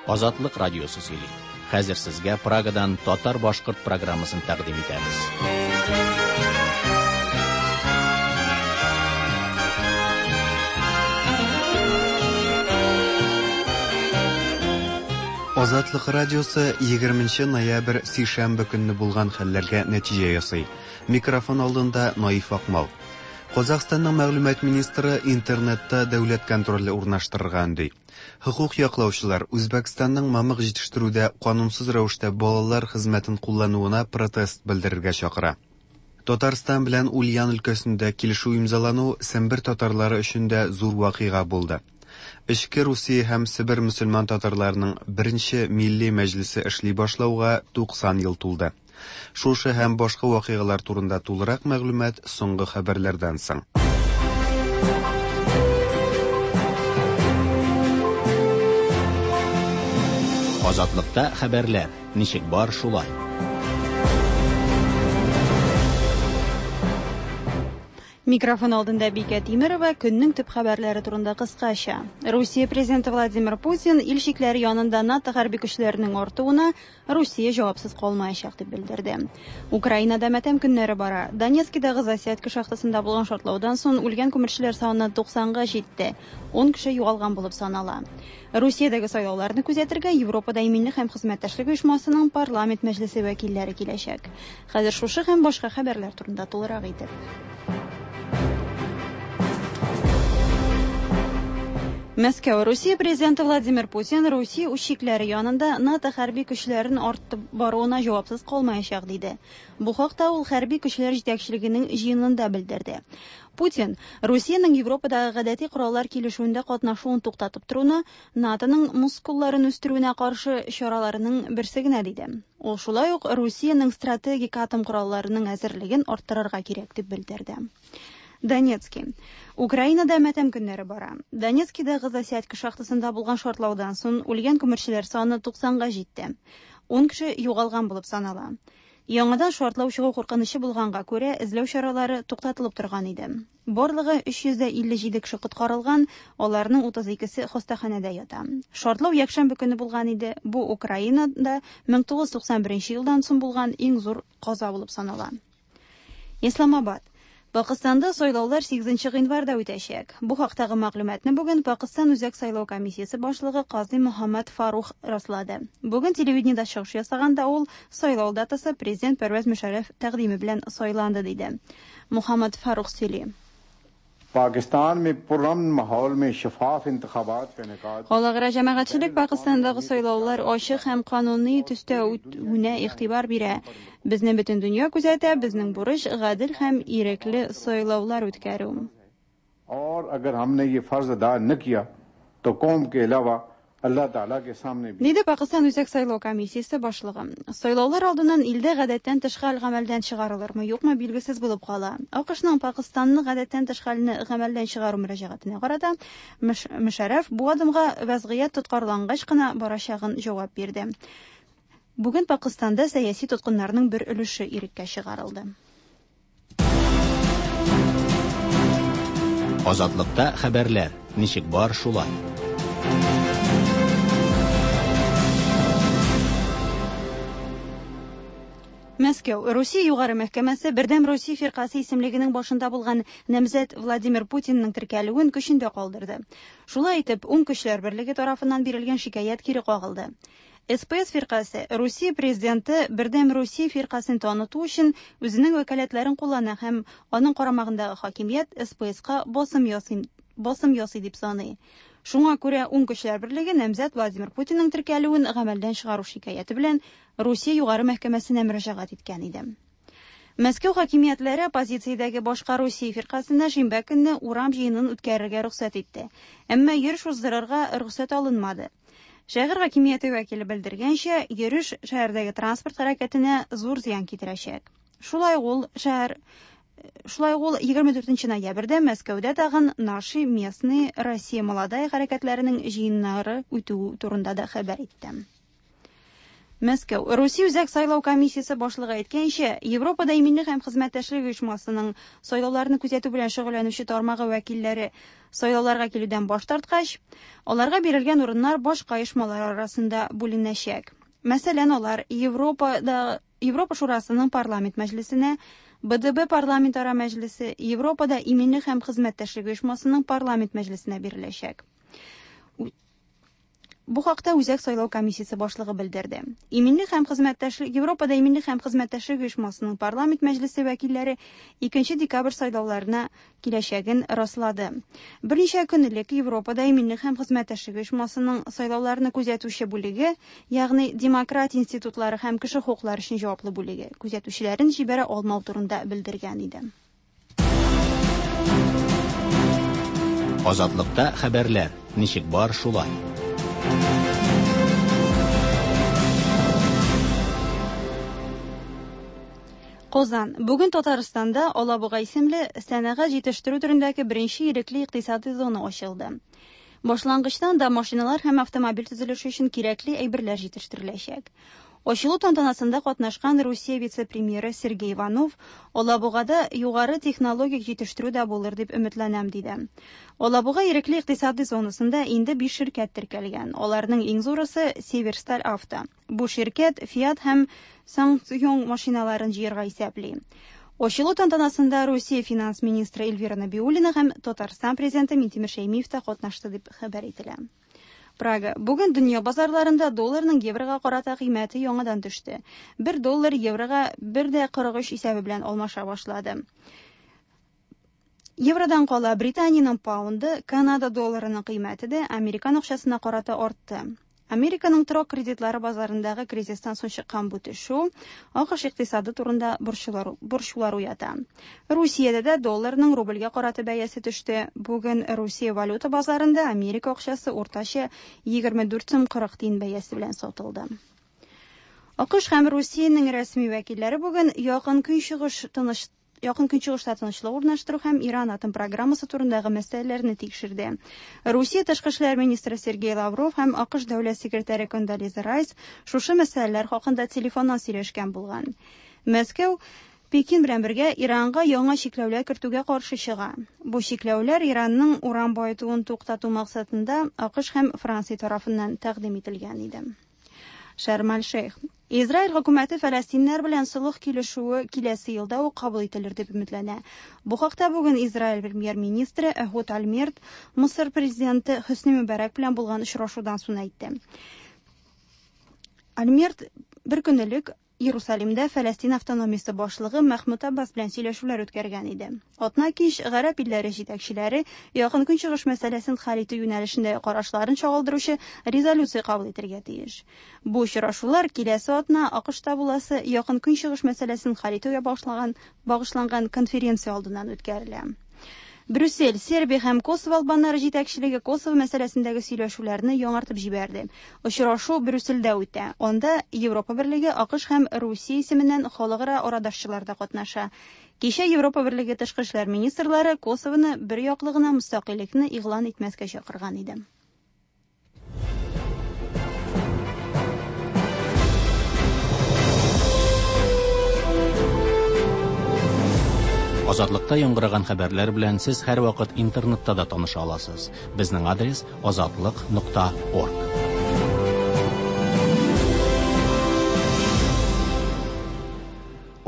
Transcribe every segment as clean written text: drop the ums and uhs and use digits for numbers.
Азатлык радиосы сөйли. Хәзер сезгә Прагадан татар-башкорт программасын тәкъдим итәбез. Азатлык радиосы 20 ноябрь сишәмбе көнне булган хәлләргә нәтиҗә ясый. Микрофон алдында Наиф Акмал. Казахстанның мәгълүмат министры интернетта дәүләт контроле урнаштырырга өнди. Хокук яклаучылар Үзбәкстанның мамык җитештерүдә канунсыз рәвештә балалар хезмәтен куллануына протест белдерергә чакыра. Татарстан белән Ульян өлкәсендә килешү имзалану Сембер татарлары өчен дә зур вакыйга булды. Эчке Русия һәм Себер мөселман татарларының беренче милли мәҗлесе эшли башлауга 90 ел тулды. Шушы һәм башка вакыйгалар турында тулырак мәгълүмат соңгы хәбәрләрдән соң. Азатлыкта хәбәрләр ничек бар шулай. Микрофон алдында Бикә Тимерова көннең төп хәбәрләре турында кыскача. Русия президенты Владимир Путин ил чикләре янында НАТО хәрби көчләренең артуына Русия җавапсыз калмаячак дип белдерде. Украинада матәм көннәре бара. Донецкидагы Засядка шахтасында булган шартлаудан соң үлгән күмерчеләр саны 90-га җитте. 10 кеше югалган булып санала. Русиядәге сайлауларны күзәтергә Европада иминлек һәм хезмәттәшлек оешмасының парламент мәҗлесе вәкилләре киләчәк. Хәзер шушы һәм башка хәбәрләр турында тулырак итеп. Мәскәү Русия президенты Владимир Путин Русия үз чикләре янында НАТО хәрби көчләрен артып баруына җавапсыз калмаячак диде. Бу хакта ул хәрби көчләр җитәкчелегенең җыенында белдерде. Путин Русиянең Европадагы гадәти кораллар килешүендә катнашуын туктатып торуны НАТОның мускулларын үстерүенә каршы чараларының берсе генә диде. Ул шулай ук Русиянең стратегик атом коралларының әзерлеген арттырырга кирәк дип белдерде. Донецкий. Украинада матәм көннәре бара. Донецкидагы Засядько шахтасында булган шартлаудан соң үлгән күмерчеләр саны 90-га җитте. 10 кеше югалган булып санала. Яңадан шартлау чыгу куркынычы булганга күрә, эзләү чаралары туктатылып торган иде. Барлыгы 357 кеше коткарылган, аларның 32-се хастаханәдә ята. Шартлау якшәмбе көне булган иде. Бу Украинада 1991 елдан соң булган иң зур каза булып санала. Исламабад. Пакыстанда сайлаулар 8 гыйнварда үтәчәк. Бу хактагы мәгълүматны бүген Пакыстан Үзәк сайлау комиссиясе башлыгы Казый Мөхәммәд Фарух раслады. Бүген телевидениедә чыгыш ясаганда ул сайлау датасы президент Пәрвәз Мөшәррәф тәкъдиме белән сайланды диде. Мөхәммәд Фарух сөйли. Пакистан में पुरअमन माहौल में शफाफ इंतखाबात का इनेकाद Халыкара җәмәгатьчелек Пакыстандагы сайлаулар ачык һәм кануни төстә үтүенә игътибар бирә. Безне бөтен дөнья күзәтә, безнең бурыч гадел һәм ирекле сайлаулар үткәрү. और अगर हमने ये फर्ज अदा न किया तो कौम के अलावा अल्लाह ताला के सामने भी Диде Пакыстан Үзәк сайлау комиссиясе башлыгы. Сайлаулар алдыннан илдә гадәттән тыш хәл гамәлдән чыгарылырмы, юкмы билгесез булып кала. АКШның Пакыстанны гадәттән тыш хәлне гамәлдән чыгару мөрәҗәгатенә карата Мөшәррәф бу адымга вазгыять тоткарлангач кына барачагын җавап бирде. Бүген Пакыстанда сәяси тоткыннарның бер өлеше иреккә чыгарылды. Азатлыкта хәбәрләр ничек бар шулай. Мәскәү Русия югары мәхкәмәсе Бердәм Русия фиркасе исемлегенең башында булган намзәт Владимир Путинның теркәлүен көчендә калдырды. Шулай итеп, Уң көчләр берлеге тарафыннан бирелгән шикаять кире кагылды. СПС фиркасе Русия президенты Бердәм Русия фиркасын таныту өчен үзенең вәкаләтләрен куллана һәм аның карамагындагы хакимият СПСка басым ясый, басым ясый дип саный. Шуңа күрә Уң көчләр берлеге намзәт Владимир Путинның теркәлүен гамәлдән чыгару шикаяте белән Русия югары мәхкәмәсенә мөрәҗәгать иткән иде. Мәскәү хакимиятләре оппозициядәге башка Русия фиркасына шимбә көнне урам җыенын үткәрергә рөхсәт итте. Әмма йөреш уздырырга рөхсәт алынмады. Шәһәр хакимияте вәкиле белдергәнчә, йөреш шәһәрдәге транспорт хәрәкәтенә зур зыян китерәчәк. Шулай ул шәһәр Шулай ул 24 ноябрьдә Мәскәүдә тагын Наши местные Россия молодая хәрәкәтләренең җыеннары үтү турында да хәбәр итте. Мәскәү. Русия Үзәк сайлау комиссиясе башлыгы әйткәнчә, Европада иминлек һәм хезмәттәшлек оешмасының сайлауларны күзәтү белән шөгыльләнүче тармагы вәкилләре сайлауларга килүдән баш тарткач, аларга бирелгән урыннар башка оешмалар арасында бүленәчәк. Мәсәлән, алар Европада Европа Шурасының парламент мәҗлесенә, БДБ парламентара мәҗлесе, Европада иминлек һәм хезмәттәшлек оешмасының парламент мәҗлесенә биреләчәк. Бу хакта Үзәк сайлау комиссиясе башлыгы белдерде. Иминлек һәм хезмәттәшлек Европада иминлек һәм хезмәттәшлек оешмасының парламент мәҗлесе вәкилләре 2 декабрь сайлауларына киләчәген раслады. Берничә көн элек Европада иминлек һәм хезмәттәшлек оешмасының сайлауларны күзәтүче бүлеге, ягъни демократия институтлары һәм кеше хокуклары өчен җаваплы бүлеге, күзәтүчеләрен җибәрә алмау турында белдергән иде. Азатлыкта хәбәрләр ничек бар шулай. Казан. Бүген Татарстанда Алабуга исемле сәнәгать җитештерү төрендәге беренче ирекле икътисади зона ачылды. Башлангычтан да машиналар һәм автомобиль төзелеше өчен кирәкле әйберләр җитештереләчәк. Ачылу тантанасында катнашкан Русия вице-премьеры Сергей Иванов Алабугада югары технологик җитештерү дә булыр дип өметләнәм, диде. Алабуга ирекле икътисади зонасында инде 5 ширкәт теркәлгән. Аларның иң зурысы Северсталь Авто. Бу ширкәт Fiat һәм Ssangyong машиналарын җыярга исәпли. Ачылу тантанасында Русия финанс министры Эльвира Набиуллина һәм Татарстан президенты Минтимер Шәймиев та катнашты дип хәбәр ителә. Прага. Бүген дөнья базарларында долларның еврога карата кыйммәте яңадан төште. 1 доллар еврога 1.43 исәбе белән алмаша башлады. Евродан кала Британиянең паунды, Канада долларының кыйммәте дә американ акчасына карата артты. Американың торак кредитлары базарындагы кризистан соң чыккан бу төшү АКШ икътисады турында борчулар уята. Русиядә дә долларның рубльгә карата бәясе төште. Бүген Русия валюта базарында Америка акчасы уртача 24 сум 40 тиен бәясе белән сатылды. АКШ һәм Русиянең рәсми вәкилләре бүген Якын Көнчыгыш тыныч Якын Көнчыгышта тынычлык урнаштыру һәм Иран атом программасы турындагы мәсьәләләрне тикшерде. Русия тышкы эшләр министры Сергей Лавров һәм АКШ дәүләт секретаре Кондолиза Райс шушы мәсьәләләр хакында телефоннан сөйләшкән булган. Мәскәү Пекин белән бергә Иранга яңа чикләүләр кертүгә каршы чыга. Бу чикләүләр Иранның уран баетуын туктату максатында АКШ һәм Франция тарафыннан тәкъдим ителгән иде. Шарм-аль-Шейх. Израиль хөкүмәте фәләстиннәр белән солых килешүе киләсе елда ук кабул ителер дип өметләнә. Бу хакта бүген Израиль премьер-министры Эхуд Ольмерт Мысыр президенты Хөсни Мөбарәк белән булган очрашудан соң әйтте. Ольмерт бер көн элек Иерусалимдә Фәләстин автономиясе башлыгы Мәхмүд Аббас белән сөйләшүләр үткәргән иде. Атна кич гарәп илләре җитәкчеләре Якын Көнчыгыш мәсьәләсен хәл итү юнәлешендә карашларын чагылдыручы резолюция кабул итәргә тиеш. Бу очрашулар киләсе атна АКШта буласы Якын Көнчыгыш мәсьәләсен хәл итүгә багышланган конференция алдыннан үткәрелә. Брюссель, Сербия һәм Косово албаннары җитәкчелеге Косово мәсьәләсендәге сөйләшүләрне яңартып җибәрде. Очрашу Брюссельдә үтә. Анда Европа Берлеге, АКШ һәм Русия исеменнән халыкара арадашчылар да катнаша. Кичә Европа Берлеге тышкы эшләр министрлары Косовоны бер яклы гына мөстәкыйльлекне игълан итмәскә чакырган иде. Азатлыкта яңгыраган хәбәрләр белән сез һәрвакыт интернетта да таныша аласыз. Безнең адрес азатлык.орг.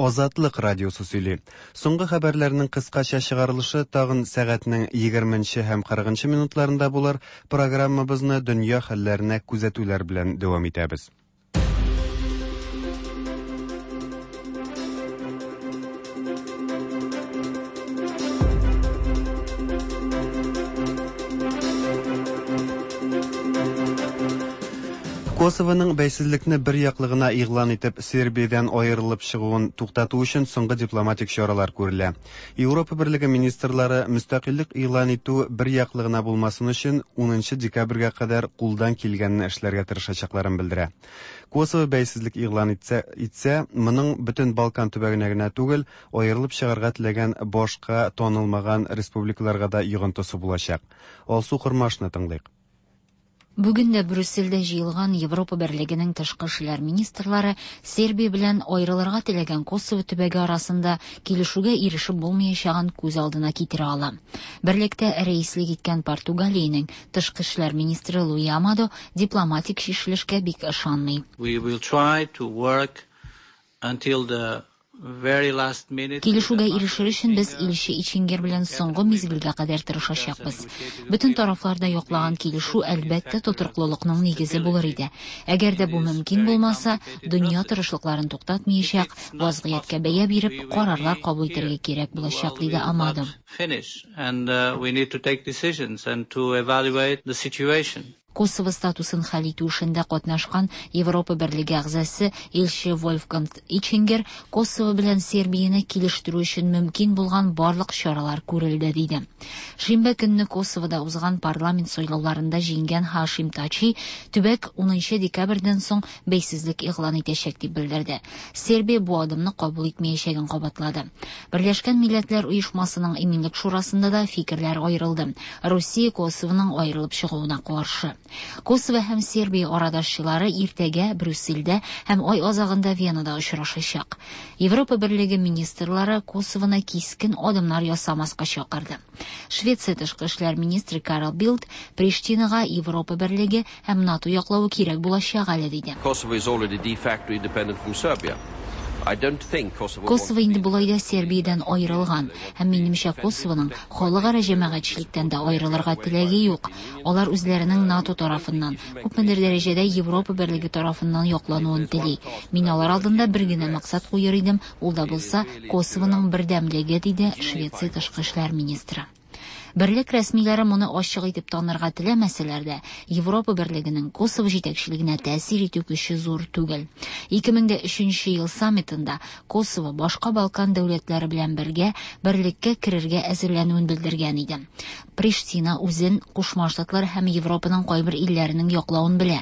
Азатлык радиосы сөйли. Соңгы хәбәрләрнең кыскача чыгарылышы тагын сәгатьнең 20 һәм 40 минутларында булыр. Программабызны дөнья хәлләренә күзәтүләр белән дәвам итәбез. Косованың бәйсезлекне бер яклы гына игълан итеп Сербиядән аерылып чыгуын туктату өчен соңгы дипломатик чаралар күрелә. Европа Берлеге министрлары мөстәкыйльлек игълан итү бер яклы гына булмасын өчен 10 декабрьгә кадәр кулдан килгәнне эшләргә тырышачакларын белдерә. Косово бәйсезлек игълан итсә, моның бөтен Балкан төбәгенә генә түгел, аерылып чыгарга теләгән башка танылмаган республикаларга да йогынтысы булачак. Алсу Кормашны тыңлыйк. Бүген дә Брюссельдә җыелган Европа Берлегенең тышкы эшләр министрлары Сербия белән аерылырга теләгән Косово төбәге арасында килешүгә ирешеп булмаячагын күз алдына китерә ала. Берлектә рәислек иткән Португалиянең тышкы эшләр министры Луи Амадо дипломатик чишелешкә бик ышанмый. We will try to work until the Килешүгә ирешер өчен без илче Ичингер белән соңгы мизгелгә кадәр тырышачакбыз. Бөтен тарафлар да яклаган килешү, әлбәттә, тотрыклылыкның нигезе булыр иде. Әгәр дә бу мөмкин булмаса, дөнья тырышлыкларын туктатмаячак, вазгыятькә бәя биреп, карарлар кабул итәргә кирәк булачак, диде Амадо. Косово статусын хәл итү эшендә катнашкан Европа Берлеге әгъзасы илче Вольфганг Ичингер Косово белән Сербияне килештерү өчен мөмкин булган барлык чаралар күрелде, диде. Шимбә көнне Косовода узган парламент сайлауларында җиңгән Һашим Тачи төбәк 10 декабрьдән соң бәйсезлек игълан итәчәк дип белдерде. Сербия бу адымны кабул итмәячәген кабатлады. Берләшкән Милләтләр Оешмасының Иминлек шурасында да фикерләр аерылды. Русия Косовоның аерылып чыгуына каршы. Косово һәм Сербия арадашчылары иртәгә Брюссельдә һәм ай азагында Венада очрашачак. Европа Берлеге министрлары Косовоны кискен адымнар ясамаска чакырды. Швеция тышкы эшләр министры Карл Билд Приштинага Европа Берлеге һәм НАТО яклавы кирәк булачак әле, диде. Kosovo is already de facto independent from Serbia. Косово инде болай да Сербиядән аерылган, һәм минемчә Косовоның халыкара җәмәгатьчелектән дә аерылырга теләге юк. Алар үзләренең НАТО тарафыннан, күпмедер дәрәҗәдә Европа Берлеге тарафыннан яклануын тели. Мин алар алдында бер генә максат куер идем, ул да булса Косовоның бердәмлеге, диде Швеция тышкы эшләр министры. Берлек рәсмиләре моны ачык итеп танырга теләмәсәләр дә, Европа Берлегенең Косово җитәкчелегенә тәэсир итү көче зур түгел. 2003 ел саммитында Косово башка Балкан дәүләтләре белән бергә берлеккә керергә әзерләнүен белдергән иде. Приштина үзен Кушма Штатлар һәм Европаның кайбер илләренең яклавын белә.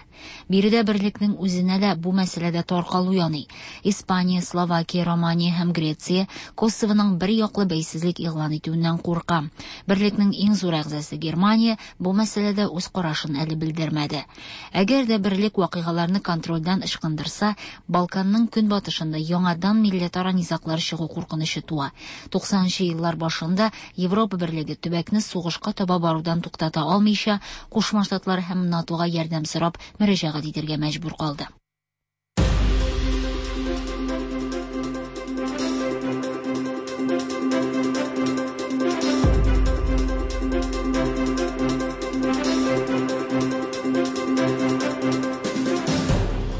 Биредә берлекнең үзенә дә бу мәсьәләдә таркалу яный. Испания, Словакия, Романия һәм Греция Косовоның бер яклы бәйсезлек игълан итүеннән курка. Берлекнең иң зур әгъзасы Германия бу мәсьәләдә үз карашын әле белдермәде. Әгәр дә берлек вакыйгаларны контрольдән ычкындырса, Балканның көнбатышында яңадан милләтара низаглар чыгу куркынычы туа. 90нчы еллар башында Европа Берлеге төбәкне сугышка таба барудан туктата алмыйча, Кушма Штатлар һәм НАТОга ярдәм сорап мөрәҗәгать итәргә мәҗбүр калды.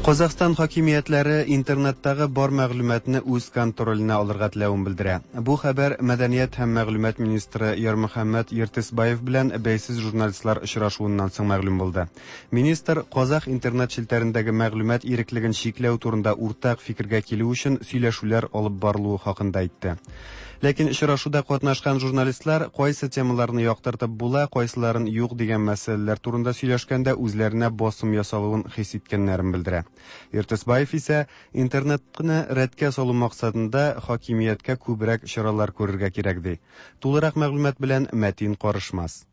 Казахстан хакимиятләре интернеттагы бар мәгълүматны үз контроленә алырга теләвен белдерә. Бу хәбәр мәдәният һәм мәгълүмат министры Ярмөхәммәт Ертысбаев белән бәйсез журналистлар очрашуыннан соң мәгълүм булды. Министр казах интернет челтәрендәге мәгълүмат иреклеген чикләү турында уртак фикергә килү өчен сөйләшүләр алып барылуы хакында әйтте. Ләкин очрашуда катнашкан журналистлар кайсы темаларны яктыртып була, кайсыларын юк дигән мәсьәләләр турында сөйләшкәндә үзләренә басым ясалуын хис иткәннәрен белдерә. Ертысбаев исә интернетны рәткә салу максатында хакимияткә күбрәк чаралар күрергә кирәк ди. Тулырак мәгълүмат белән Мәтин Карышмас.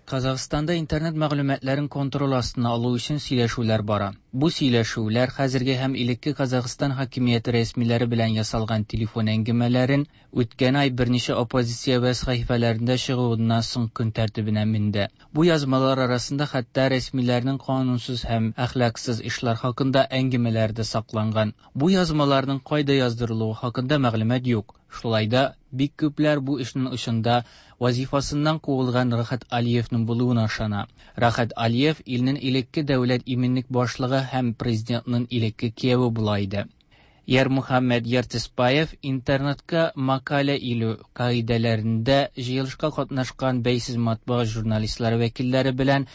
Казахстанда интернет мәгълүматларын контроль астына алу өчен сөйләшүләр бара. Бу сөйләшүләр хәзерге һәм элекке Казахстан хакимияте рәсмиләре белән ясалган телефон әңгәмәләрен үткән ай берничә оппозиция веб сәхифәләрендә чыгуыннан соң көн тәртибенә менде. Бу язмалар арасында хәтта рәсмиләрнең канунсыз һәм әхлаксыз эшләр хакында әңгәмәләр дә сакланган. Бу язмаларның кайда яздырылуы хакында мәгълүмат юк. Шулай да бик күпләр бу эшнең очында вазифасыннан куылган Рахат Алиевның булуына ышана. Рахат Алиев илнең элекке дәүләт иминлек башлыгы һәм президентның элекке кияве була иде. Ярмөхәммәт Ертысбаев интернетка макалә илү кагыйдәләрендә җыелышка катнашкан бәйсез матбугат журналистлары вәкилләре белән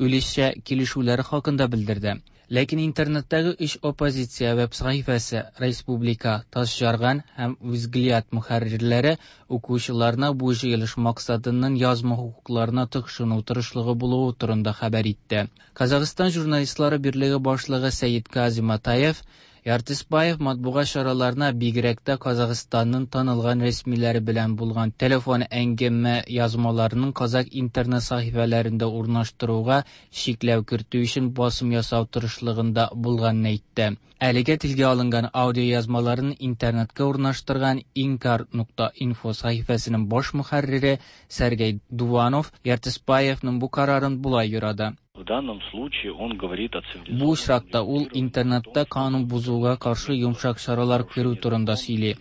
өлешчә килешүләре хакында белдерде. Ләкин интернеттагы өч оппозиция веб сәхифәсе Республика, Таш Жарган һәм Взгляд мөхәррирләре укучыларына бу җыелыш максатыннан язма хокукларына тыкшыну тырышлыгы булуы турында хәбәр итте. Казахстан журналистлары берлеге башлыгы Сәет Казиматаев Ертысбаев матбугат чараларына бигрәк тә Казахстанның танылган рәсмиләре белән булган телефон әңгәмә язмаларының казак интернет сәхифәләрендә урнаштыруга чикләү кертү өчен басым ясау тырышлыгында булганын әйтте. Әлегә телгә алынган аудио язмаларын интернетка урнаштырган inkar.info сәхифәсенең баш мөхәррире Сергей Дуванов Ертысбаевның бу карарын болай юрады. В данном случае он говорит о цивилизованном Бу очракта ул интернетта канун бозуга каршы йомшак чаралар күрү турында сөйли.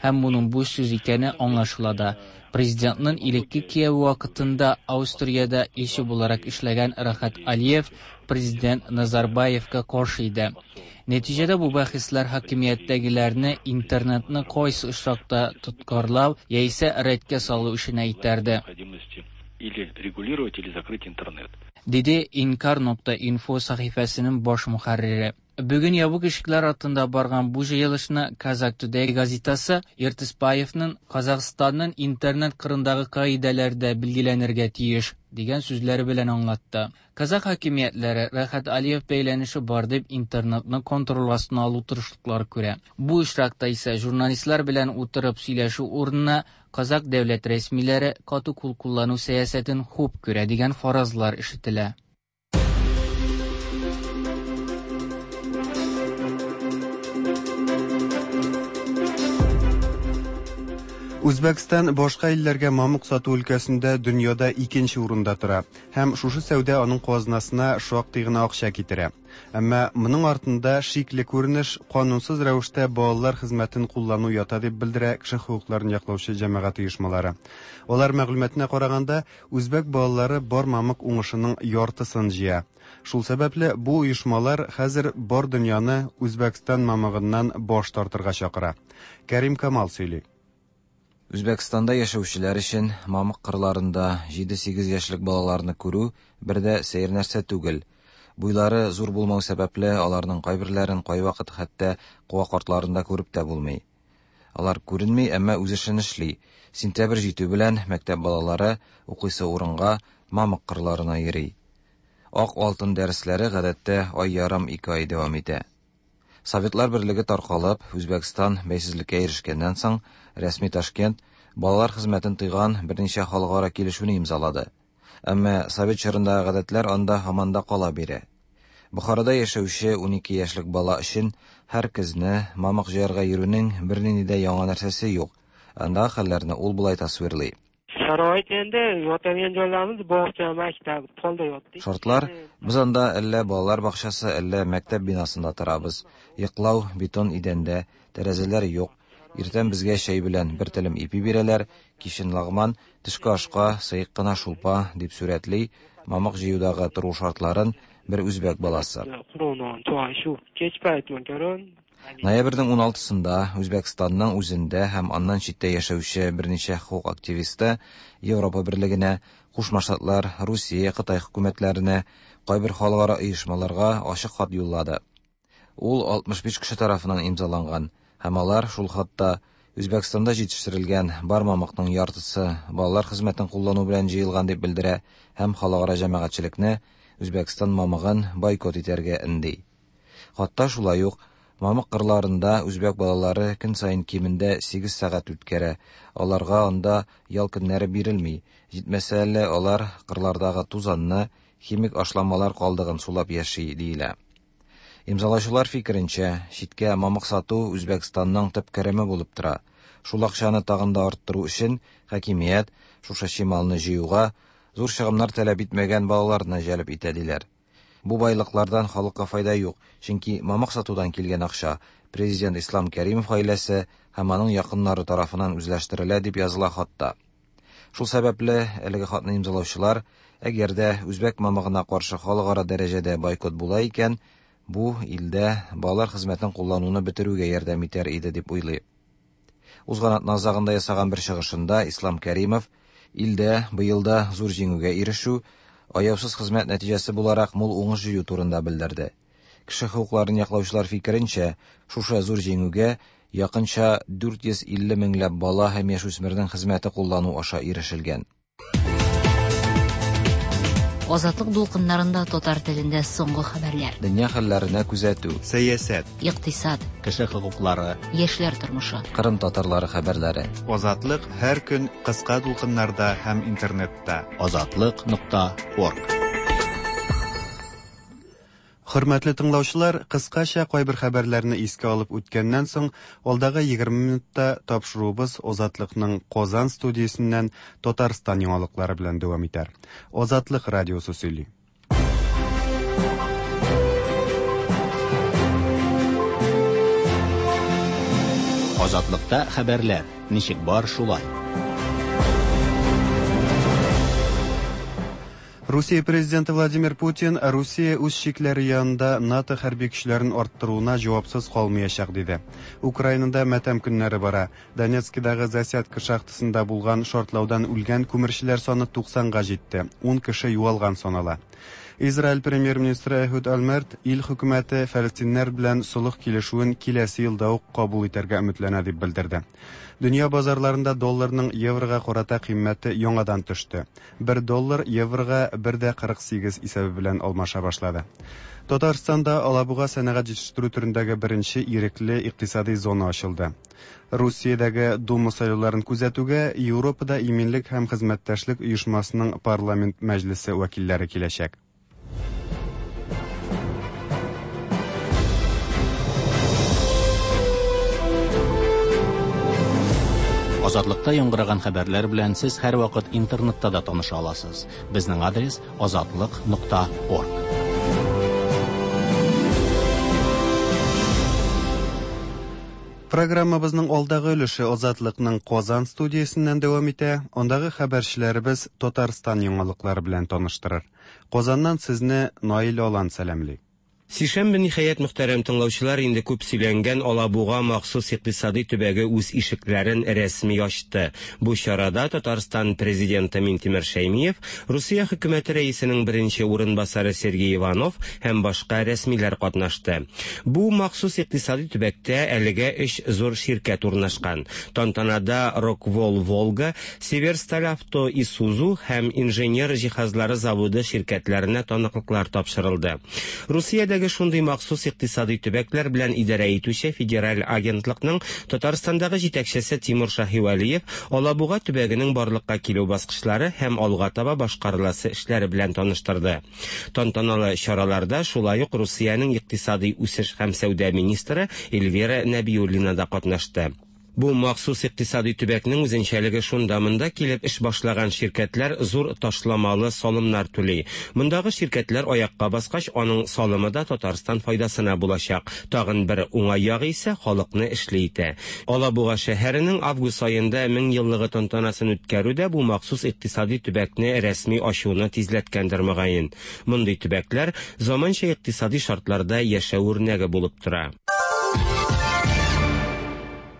Һәм моның буш сүз икәне аңлашыла да. Президентның элекке кияве вакытында Австриядә илче буларак эшләгән Рахат Алиев президент Назарбаевка каршы иде. Нәтиҗәдә бу бәхәсләр хакимияттәгеләрне интернетны кайсы очракта тоткарлау яисә рәткә салу эшенә этәрде. Или регулировать, или закрыть интернет. Диде inkar.info сәхифәсенең баш мөхәррире. Бүген ябык ишекләр артында барган бу җыелышны Казак Today газетасы Ертысбаевның Казахстанның интернет кырындагы кагыйдәләр дә билгеләнергә тиеш дигән сүзләре белән аңлатты. Казах хакимиятләре Рәхәт Алиев бәйләнеше бар дип интернетны контроль астына алу тырышлыклары күрә. Бу очракта исә журналистлар белән утырып сөйләшү урынына Казак дәүләт рәсмиләре каты кул куллану сәясәтен хуп күрә дигән фаразлар ишетелә. Үзбәкстан башка илләргә мамык сату өлкәсендә дөньяда икенче урында тора һәм шушы сәүдә аның казнасына шактый гына акча китерә. Әмма моның артында шикле күренеш канунсыз рәвештә балалар хезмәтен куллану ята дип белдерә кеше хокукларын яклаучы җәмәгать оешмалары. Алар мәгълүматына караганда, үзбәк балалары бар мамык уңышының яртысын җыя. Шул сәбәпле бу оешмалар хәзер бар дөньяны Үзбәкстан мамыгыннан баш тартырга чакыра. Кәрим Камал сөйли. Үзбәкстанда яшәүчеләр өчен мамык кырларында 7-8 яшьлек балаларны күрү бер дә сәер нәрсә түгел. Буйлары зур булмау сәбәпле, аларның кайберләрен кайвакыт хәтта куак артларында күреп тә булмый. Алар күренми, әмма үз эшен эшли. Сентябрь җитү белән мәктәп балалары укыйсы урынга мамык кырларына йөри. Ак алтын дәресләре гадәттә ай ярым ике ай дәвам итә. Советлар берлеге таркалып, Үзбәкстан бәйсезлеккә ирешкәннән соң, рәсми Ташкент балалар хезмәтен тыйган берничә халыкара килешүне имзалады. Әмма совет чорындагы гадәтләр анда һаман да кала бирә. Бохарада яшәүче 12 яшьлек бала өчен һәр көзне мамык җыярга йөрүнең бернинди дә яңа нәрсәсе юк. Андагы хәлләрне ул болай тасвирлый. Sharoit endi yotadigan joylarimiz bog'cha, maktab, polda yotdik. Шартлар, без анда әллә балалар бакчасы, әллә мәктәп бинасында торабыз. Йоклау бетон идәндә, тәрәзәләр юк. Иртән безгә чәй белән бер телем ипи бирәләр, кичен лагман, төшке ашка сыек кына шулпа, дип сурәтли мамык җыюдагы тору шартларын бер үзбәк баласы. Quruq non, choy shu. Kech payt makaron. Ноябрьнең 16-сында Үзбәкстанның үзендә һәм аннан читтә яшәүче берничә хокук активисты Европа берлегенә, Кушма Штатлар, Русия, Кытай хөкүмәтләренә, кайбер халыкара оешмаларга ачык хат юллады. Ул 65 кеше тарафыннан имзаланган һәм алар шул хатта Үзбәкстанда җитештерелгән бар мамыкның яртысы балалар хезмәтен куллану белән җыелган дип белдерә һәм халыкара җәмәгатьчелекне Үзбәкстан мамыгын бойкот итәргә өнди. Хатта шулай ук мамык кырларында үзбәк балалары көн саен кимендә 8 сәгать үткәрә. Аларга анда ял көннәре бирелми. Җитмәсә әле алар кырлардагы тузанны, химик ашламалар калдыгын сулап яши диелә. Имзалаучылар фикеренчә, читкә мамык сату Үзбәкстанның төп кереме булып тора. Шул акчаны тагын да арттыру өчен хакимият шушы чималны җыюга зур чыгымнар таләп итмәгән балаларны җәлеп итә диләр. Бу байлыклардан халыкка файда юк, чөнки мамык сатудан килгән акча президент Ислам Кәримов гаиләсе һәм аның якыннары тарафыннан үзләштерелә дип языла хатта. Шул сәбәпле әлеге хатны имзалаучылар, әгәр дә үзбәк мамыгына каршы халыкара дәрәҗәдә бойкот була икән, бу илдә балалар хезмәтен куллануны бетерүгә ярдәм итәр иде дип уйлый. Узган атна азагында ясаган бер чыгышында Ислам Кәримов илдә быел да зур җиңүгә ирешү, аяусыз хезмәт нәтиҗәсе буларак мул уңыш җыю турында белдерде. Кеше хокукларын яклаучылар фикеренчә, шушы зур җиңүгә якынча 450 меңләп бала һәм яшүсмернең хезмәте куллану аша ирешелгән. Азатлык дулкыннарында татар телендә соңгы хәбәрләр. Дөнья хәлләренә күзәтү. Сәясәт. Икътисад. Кеше хокуклары. Яшьләр тормышы. Кырым татарлары хәбәрләре. Азатлык һәр көн кыска дулкыннарда һәм интернетта. Азатлык нокта орг. Хөрмәтле тыңлаучылар, кыскача кайбер хәбәрләрне искә алып үткәннән соң, алдагы 20 минутта тапшыруыбыз Азатлыкның Казан студиясеннән Татарстан яңалыклары белән дәвам итәр. Азатлык радиосы сөйли. Азатлыкта хәбәрләр ничек бар шулай. Русия президенты Владимир Путин Русия үз чикләре янында НАТО хәрби көчләрен арттыруына җавапсыз калмаячак диде. Украинада матәм көннәре бара. Донецкидагы Засядка шахтасында булган шартлаудан үлгән күмерчеләр саны 90-га җитте. 10 кеше югалган санала. Израиль премьер-министры Эхуд Ольмерт ил хөкүмәте фәлестиннәр белән солых килешүен киләсе елда ук кабул итәргә өметләнә дип белдерде. Дөнья базарларында долларның еврога карата кыйммәте яңадан төште. 1 доллар еврога 1,48 исәбе белән алмаша башлады. Татарстанда Алабуга сәнәгать җитештерү төрендәге беренче ирекле икътисади зона ачылды. Русиядәге Дума сайлауларын күзәтүгә Европада иминлек һәм хезмәттәшлек оешмасының парламент мәҗлесе вәкилләре киләчәк. Азатлыкта яңгыраган хәбәрләр белән сез һәрвакыт интернетта да таныша аласыз. Безнең адрес азатлык.орг. Программабызның алдагы өлеше Азатлыкның Казан студиясеннән дәвам итә. Андагы хәбәрчеләребез Татарстан яңалыклары белән таныштырыр. Казаннан сезне Наил Алан сәламли. Сишәмбе ниһаять мөхтәрәм тыңлаучылар инде күп сөйләнгән Алабуга махсус икътисади төбәге үз ишекләрен рәсми ачты. Бу чарада Татарстан президенты Минтимер Шәймиев, Русия хөкүмәте рәисенең беренче урынбасары Сергей Иванов һәм башка рәсмиләр катнашты. Бу махсус икътисади төбәктә әлегә өч зур ширкәт урнашкан. Тантанада Роквол Волга, Северсталь Авто Исузу һәм инженер җиһазлары заводы ширкәтләренә таныклыклар тапшырылды. Русиядә шундый махсус икътисади төбәкләр белән идарә итүче федераль агентлыкның Татарстандагы җитәкчесе Тимур Шаһивәлиев Алабуга төбәгенең барлыкка килү баскычлары һәм алга таба башкарыласы эшләре белән таныштырды. Тантаналы чараларда шулай ук Русиянең икътисади үсеш һәм сәүдә министры Эльвира Нәбиуллина да катнашты. Бу махсус икътисади төбәкнең үзенчәлеге шунда, монда килеп эш башлаган ширкәтләр зур ташламалы салымнар түли. Мондагы ширкәтләр аякка баскач, аның салымы да Татарстан файдасына булачак. Тагын бер уңай ягы исә халыкны эшле итә. Алабуга шәһәренең август аенда 1000 еллыгы тантанасын үткәрү дә бу махсус икътисади төбәкне рәсми ачуны тизләткәндер мөгаен. Мондый төбәкләр заманча икътисади шартларда яшәү үрнәге булып тора.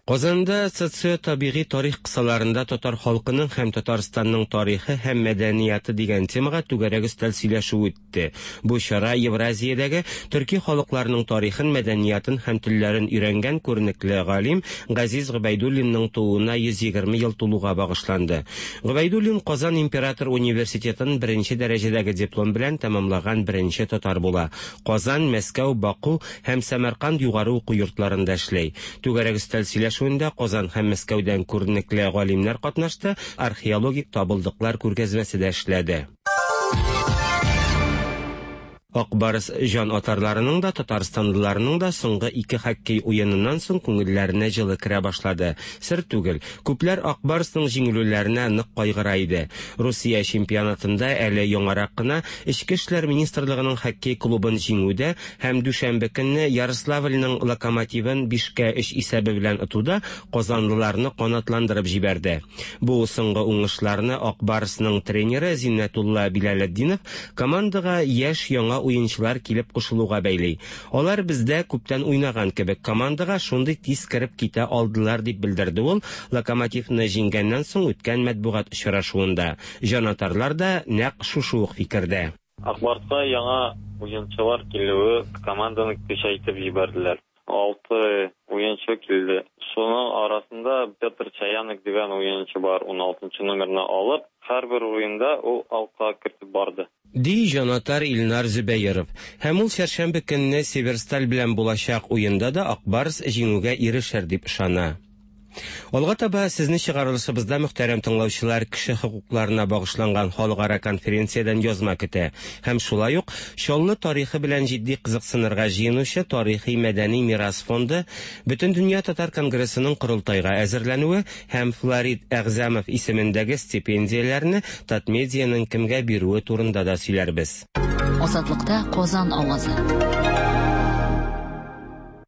Казанда социо-табигый тарих кысаларында татар халкының һәм Татарстанның тарихы һәм мәдәнияты дигән темага түгәрәк өстәл сөйләшү үтте. Бу чара Евразиядәге төрки халыкларның тарихын, мәдәниятын һәм телләрен өйрәнгән күренекле галим Газиз Гобәйдуллинның тууына 120 ел тулуга багышланды. Гобәйдуллин Казан император университетын беренче дәрәҗәдәге диплом белән тәмамлаган беренче татар була. Казан, Мәскәү, Баку һәм Сәмәрканд югары уку йортларында эшләй. Түгәрәк өстәл сөйләшүендә Казан һәм Мәскәүдән күренекле галимнәр катнашты, археологик табылдыклар күргәзмәсе дә эшләде. Ак Барс җан атарларының да, татарстанлыларның да соңгы ике хоккей уеныннан соң күңелләренә җылы керә башлады. Сер түгел, күпләр Ак Барсның җиңелүләренә нык кайгыра иде. Русия чемпионатында әле яңарак кына Эчке эшләр министрлыгының хоккей клубын җиңүдә һәм дүшәмбе көнне Ярославльның Локомотивын 5-3 исәбе белән отуда казанлыларны канатландырып җибәрде. Бу соңгы уңышларны Ак Барсның тренеры Зиннәтулла Билалетдинов командага яшь яңа уенчылар килеп кушылуга бәйли. Алар бездә күптән уйнаган кебек командага шундый тиз кереп китә алдылар дип белдерде ул Локомотивны җиңгәннән соң үткән матбугат очрашуында. Җанатарлар да нәкъ шушы ук фикердә. Ак Барска яңа уенчылар килүе команданы көчәйтеп җибәрделәр. 6 уенчы килде. Шуның арасында Петр Чаянок дигән уенчы бар, 16 номерны алып, һәрбер уенда ул алка кертеп барды. Ди җанатар Илнар Зөбәеров. Һәм ул чәршәмбе көнне Северсталь белән булачак уенда да Ак Барс җиңүгә ирешер дип ышана. Алга таба сезне чыгарылышыбызда мөхтәрәм тыңлаучылар кеше хокукларына багышланган халыкара конференциядән язма көтә. Һәм шулай ук Чаллы тарихы белән җитди кызыксынырга җыенучы Тарихи-мәдәни мирас фонды Бөтендөнья татар конгрессының корылтайга әзерләнүе һәм Флорид Әгъзәмов исемендәге стипендияләрне Татмедианың кемгә бирүе турында да сөйләрбез. Азатлыкта Казан авазы.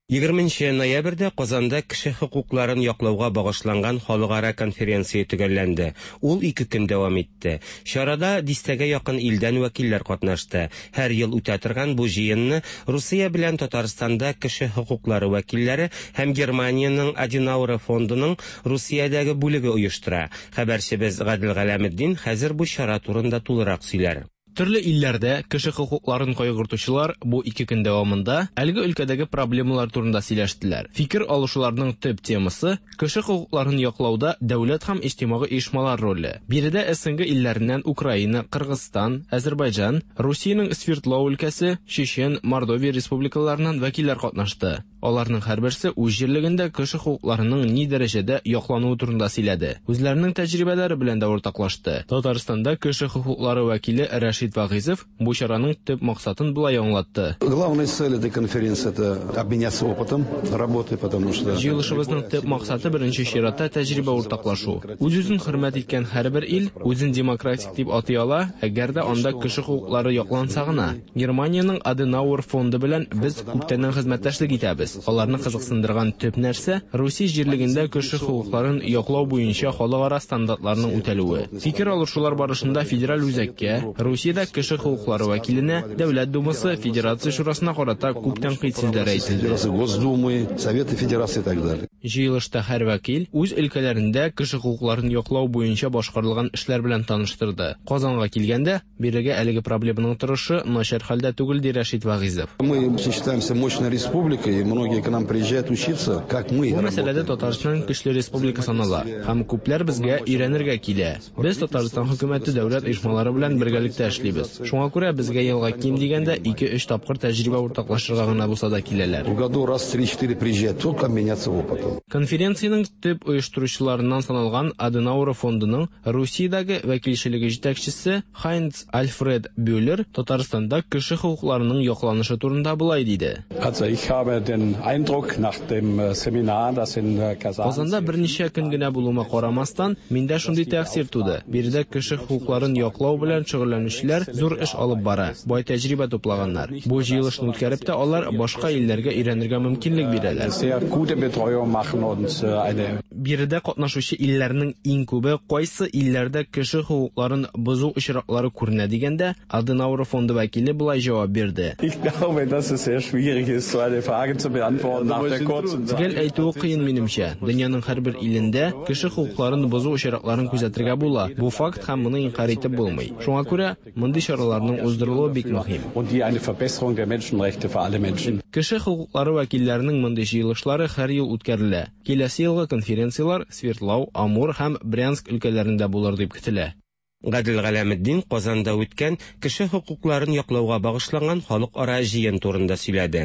Егерменче ноябрьдә Казанда кеше хокукларын яклауга багышланган халыкара конференция төгәлләнде. Ул ике көн дәвам итте. Чарада дистәгә якын илдән вәкилләр катнашты. Һәр ел үтә торган бу җыенны Русия белән Татарстанда кеше хокуклары вәкилләре һәм Германиянең Аденауэр фондының Русиядәге бүлеге оештыра. Хәбәрчебез Гадел Галәметдин хәзер бу чара турында тулырак сөйләр. Төрле илләрдә кеше хокукларын кайгыртучылар бу ике көн дәвамында әлеге өлкәдәге проблемалар турында сөйләштеләр. Фикер алышуларның төп темасы, кеше хокукларын яклауда дәүләт һәм иҗтимагый оешмалар роле. Биредә СНГ илләреннән Украина, Кыргызстан, Әзербайҗан, Русиянең Свердлау өлкәсе, Чечен, Мордовия республикаларыннан вәкилләр катнашты. Аларның һәрберсе үз җирлегендә кеше хокукларының ни дәрәҗәдә яклануы турында сөйләде. Үзләренең тәҗрибәләре белән дә уртаклашты. Татарстанда кеше хокуклары вәкиле Рәшит Вагыйзов бу чараның төп максатын болай аңлатты. Главная цель этой конференции это обменяться опытом работы, потому что Җыелышыбызның төп максаты беренче чиратта тәҗрибә уртаклашу. Үз-үзен хөрмәт иткән һәрбер ил үзен демократик дип атый ала, әгәр дә анда кеше хокуклары якланса гына. Германиянең Аденауэр фонды белән без күптәннән хезмәттәшлек итәбез. Аларны кызыксындырган төп нәрсә, Русия җирлегендә кеше хокукларын яклау буенча халыкара стандартларның үтәлүе. Фикер алышулар барышында федераль үзәккә, Русиядә кеше хокуклары вәкиленә, Дәүләт Думасы, Федерация Шурасына карата күп тәнкыйть сүзләре әйтелде. Госдумы, Совета Федерации и так далее. Җыелышта һәр вәкил үз өлкәләрендә кеше хокукларын яклау буенча башкарылган эшләр белән таныштырды. Казанга килгәндә, бирегә әлеге проблеманың торышы начар хәлдә түгел, ди Рәшит Вагыйзов. Мы считаемся мощной республикой, и многие к нам приезжают учиться, как мы Бу мәсьәләдә Татарстан көчле республика санала һәм күпләр безгә өйрәнергә килә. Без Татарстан хөкүмәте дәүләт оешмалары белән бергәлектә эшлибез. Шуңа күрә безгә елга ким дигәндә ике-өч тапкыр тәҗрибә уртаклашырга гына булса да киләләр. В году раз три-четыре приезжают, только обменяться опытом. Конференциянең төп оештыручыларыннан саналган Аденауэр фондының Русиядәге вәкилчелеге җитәкчесе Хайнц Альфред Бюллер Татарстанда кеше хокукларының якланышы турында болай диде. Also ich habe den Eindruck nach dem äh, Seminar, das in äh, Kazan Казанда берничә көн генә булуыма карамастан, миндә шундый тәэсир туды. Биредә кеше хокукларын яклау белән шөгыльләнүчеләр зур эш алып бара, бай тәҗрибә туплаганнар. Бу җыелышны үткәреп тә алар башка илләргә өйрәнергә мөмкинлек бирәләр. Sehr gute Betreuung machen und äh, eine Биредә катнашучы илләрнең иң күбе кайсы илләрдә кеше хокукларын бозу очраклары күренә дигәндә, Аденауэр фонды вәкиле болай җавап бирде. Ich glaube, dass es sehr schwierig ist, so eine Frage zu beantworten nach der kurzen Zeit. Төгәл әйтүе кыен минемчә. Дөньяның һәрбер илендә кеше хокукларын бозу очракларын күзәтергә була. Бу факт һәм моны инкарь итеп булмый. Шуңа күрә мондый чараларның уздырылуы бик мөһим. Und die eine Verbesserung der Menschenrechte für alle Menschen. Кеше хокуклары вәкилләренең мондый җыелышлары һәр ел үткәрелә. Киләсе елгы конференцияләр Свердлау, Амур һәм Брянск өлкәләрендә булыр дип көтелә. Гадел Галәметдин Казанда үткән кеше хокукларын яклауга багышланган халыкара җыен турында сөйләде.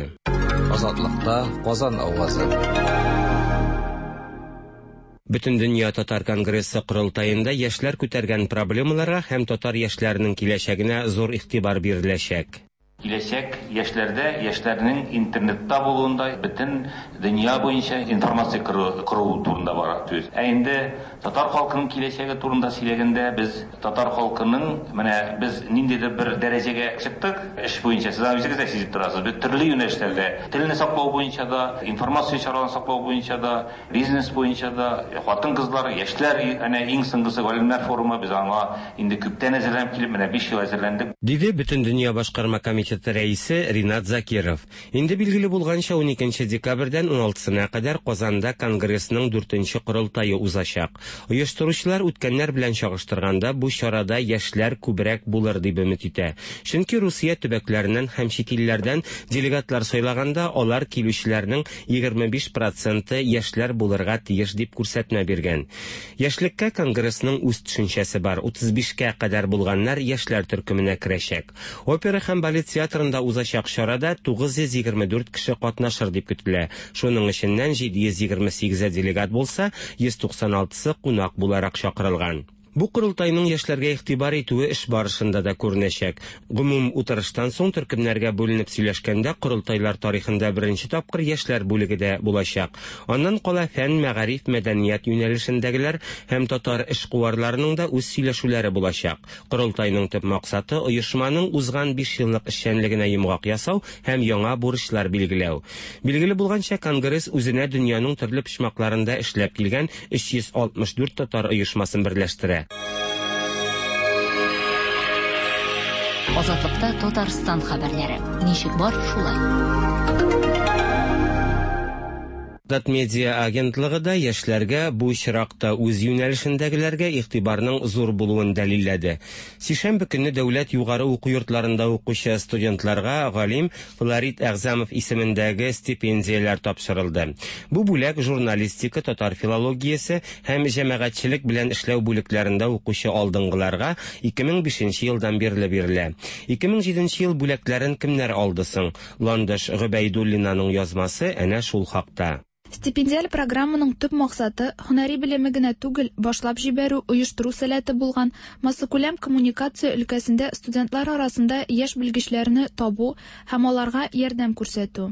Азатлыкта Казан авазы. Бөтендөнья татар конгрессы корылтаенда яшьләр күтәргән проблемаларга һәм татар яшьләренең киләчәгенә зур игътибар биреләчәк. Киләчәк яшьләрдә, яшьләрнең интернетта булуында, бөтен дөнья буенча информация кору турында бара сүз. Ә инде татар халкының киләчәге турында сөйләгәндә, без татар халкының, менә без ниндидер бер дәрәҗәгә чыктык эш буенча, сез аны үзегез дә сизеп торасыз. Без төрле юнәлешләрдә, телне саклау буенча да, информация чараларын саклау буенча да, бизнес буенча да, хатын-кызлар, яшьләр, әнә иң соңгысы галимнәр форумы, без аңа инде күптән әзерләнеп килеп, менә 5 ел әзерләндек. Диде Бөтендөнья башкарма комитеты комитеты рәисе Ринат Закиров. Инде билгеле булганча, 12 декабрьдән 16-сына кадәр Казанда Конгрессның дүртенче корылтае узачак. Оештыручылар үткәннәр белән чагыштырганда бу чарада яшьләр күбрәк булыр дип өмет итә. Чөнки Русия төбәкләреннән һәм чит илләрдән делегатлар сайлаганда алар килүчеләрнең 25 проценты яшьләр булырга тиеш дип күрсәтмә биргән. Яшьлеккә Конгрессның үз төшенчәсе бар, 35 кә кадәр булганнар яшьләр төркеменә керәчәк. Опера һәм балет театрында узачак чарада 924 кеше катнашыр дип көтелә. Шуның эченнән 728-е делегат булса, 196-сы кунак буларак чакырылган. Бу корылтайның яшьләргә игътибар итүе эш барышында да күренәчәк. Гомум утырыштан соң төркемнәргә бүленеп сөйләшкәндә корылтайлар тарихында беренче тапкыр яшьләр бүлеге дә булачак. Аннан кала фән, мәгариф, мәдәният юнәлешендәгеләр һәм татар эшкуарларының да үз сөйләшүләре булачак. Корылтайның төп максаты оешманың узган бишьеллык эшчәнлегенә йомгак ясау һәм яңа бурычлар билгеләү. Билгеле булганча, конгресс үзенә дөньяның төрле почмакларында эшләп килгән 364 татар оешмасын берләштерә. Азатлыкта Татарстан хәбәрләре. Ничек бар, шулай. Татмедиа агентлыгы да яшьләргә, бу очракта үз юнәлешендәгеләргә игътибарның зур булуын дәлилләде. Сишәмбе көнне дәүләт югары уку йортларында укучы студентларга галим Флорид Әгъзамов исемендәге стипендияләр тапшырылды. Бу бүләк журналистика, татар филологиясе һәм җәмәгатьчелек белән эшләү бүлекләрендә укучы алдынгыларга 2005 елдан бирле бирелә. 2007 ел бүләкләрен кемнәр алды соң? Ландыш Гобәйдуллинаның язмасы әнә шул хакта. Стипендиаль программаның төп максаты һөнәри белеме генә түгел, башлап җибәрү, оештыру сәләте булган массакүләм коммуникация өлкәсендә студентлар арасында яшь белгечләрне табу һәм аларга ярдәм күрсәтү.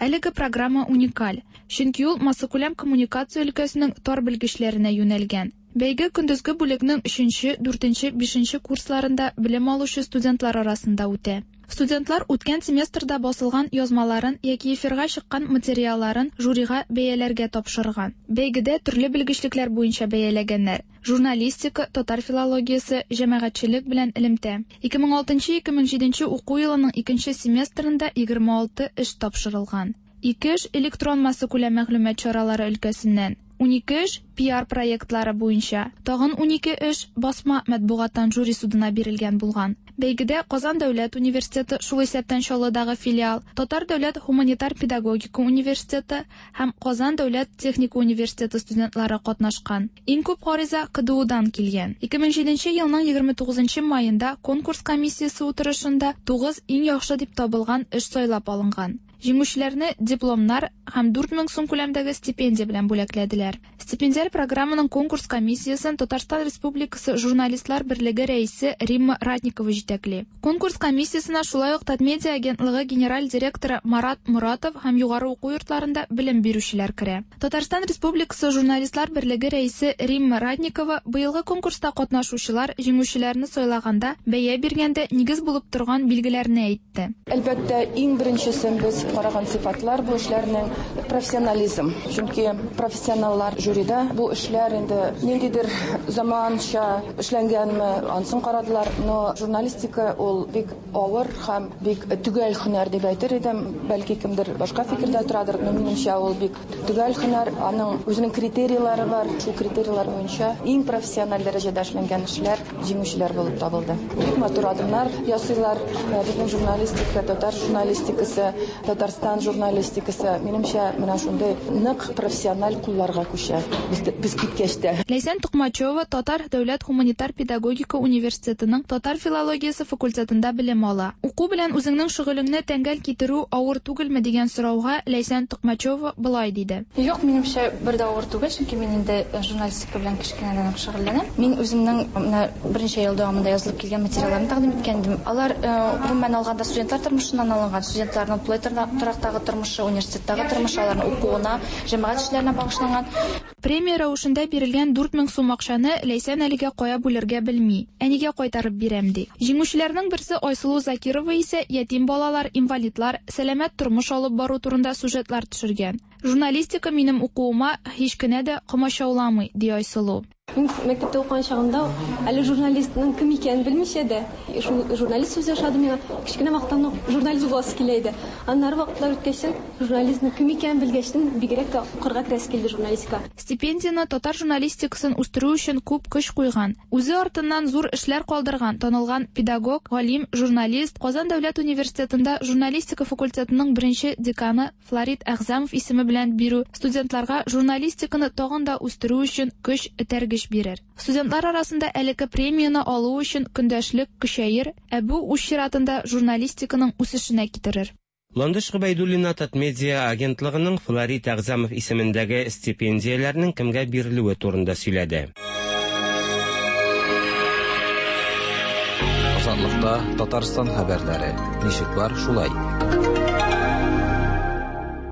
Әлеге программа уникаль, чөнки ул массакүләм коммуникация өлкәсенең тар белгечләренә юнәлгән. Бәйге көндезге бүлекнең өченче, дүртенче, бишенче курсларында белем алучы студентлар арасында үтә. Студентлар үткән семестрда басылган язмаларын яки эфирга чыккан материалларын жюрига бәяләргә тапшырган. Бәйгедә төрле белгечлекләр буенча бәяләгәннәр: журналистика, татар филологиясе, җәмәгатьчелек белән элемтә. 2006-2007 уку елының икенче семестрында 26 эш тапшырылган. Ике эш электрон массакүләм мәгълүмат чаралары өлкәсеннән. 12 эш PR проектлары буенча, тагын 12 эш басма матбугаттан жюри судына бирелгән булган. Бәйгедә Казан дәүләт университеты, шул исәптән Чаллыдагы филиал, Татар дәүләт һуманитар педагогика университеты һәм Казан дәүләт техника университеты студентлары катнашкан. Иң күп гариза КДУдан килгән. 2007 елның 29 маенда конкурс комиссиясе утырышында 9 иң яхшы дип табылган эш сайлап алынган. Җиңүчеләрне дипломнар һәм 4000 сум күләмдәге стипендия белән бүләкләделәр. Стипендиаль программаның конкурс комиссиясен Татарстан Республикасы Журналистлар берлеге рәисе Римма Ратникова җитәкли. Конкурс комиссиясенә шулай ук Татмедиа агентлыгы генераль директоры Марат Моратов һәм югары уку йортларында белем бирүчеләр керә. Татарстан Республикасы Журналистлар берлеге рәисе Римма Ратникова быелгы конкурста катнашучылар җиңүчеләрне сайлаганда, бәя биргәндә нигез булып торган билгеләрне әйтте. Әлбәттә, иң беренчесен без караган сыйфатлар бу эшләрнең профессионализм. Чөнки профессионаллар жюрида бу эшләр инде ниндидер заманча эшләнгәнме, ансын карадылар, но журналистика ул бик авыр һәм бик төгәл һөнәр дип әйтер идем. Бәлки кемдер башка фикердә торадыр, но минемчә ул бик төгәл һөнәр, аның үзенең критерийлары бар. Шул критерийлар буенча иң профессиональ дәрәҗәдә эшләнгән эшләр җиңүчеләр булып табылды. Бик матур адымнар ясыйлар. Безнең журналистика, татар журналистикасы, Татарстан журналистикасы, минемчә, менә шундый нык профессиональ кулларга күчә. Без киткәч тә. Ләйсән Токмачева Татар дәүләт һуманитар педагогика университетының татар филологиясе факультетында белем ала. Уку белән үзеңнең шөгылеңне тәңгәл китерү авыр түгелме дигән сорауга Ләйсән Токмачева болай диде. Юк, минемчә, бер дә авыр түгел, чөнки мин инде журналистика белән кечкенәдән үк шөгыльләнәм. Мин үземнең менә берничә ел дәвамында язылып килгән материалларны тәкъдим иткән идем. Алар, гомумән алганда, студентлар тормышыннан алынган, студентларның тулай торактагы тормышы, университеттагы тормышы, аларның укуына, җәмәгать эшләренә багышланган. Премия рәвешендә бирелгән 4000 сум акчаны Ләйсән әлегә кая бүлергә белми. Әнигә кайтарып бирәм, ди. Җиңүчеләрнең берсе Айсылу Закирова исә ятим балалар, инвалидлар, сәламәт тормыш алып бару турында сюжетлар төшергән. Журналистика минем укуыма һич кенә дә комачауламый, ди Айсылу. Мин мәктәптә укыган чагымда әле журналистның кем икәнен белмичә дә, шул журналист сүзе ошады миңа. Кечкенә вакыттан ук журналист буласы килә иде. Аннары вакытлар үткәчтен, журналистның кем икәнен белгәчтен, бигрәк тә укырга керәсе килде журналистика. Стипендияне татар журналистикасын үстерү өчен күп көч куйган, үзе артыннан зур эшләр калдырган танылган педагог, галим, журналист, Казан дәүләт университетында журналистика факультетының беренче деканы Флорид Әгъзамов исеме белән бирү студентларга журналистиканы тагын да үстерү өчен көч, этәргеч бирер. Студентлар арасында әлеге премияне алу өчен көндәшлек көчәер, ә бу үз чиратында журналистиканың үсешенә китерер. Ландыш Гобәйдуллина Татмедиа агентлыгының Флорид Әгъзамов исемендәге стипендияләрнең кемгә бирелүе турында сөйләде. Азатлыкта Татарстан хәбәрләре. Ничек бар, шулай.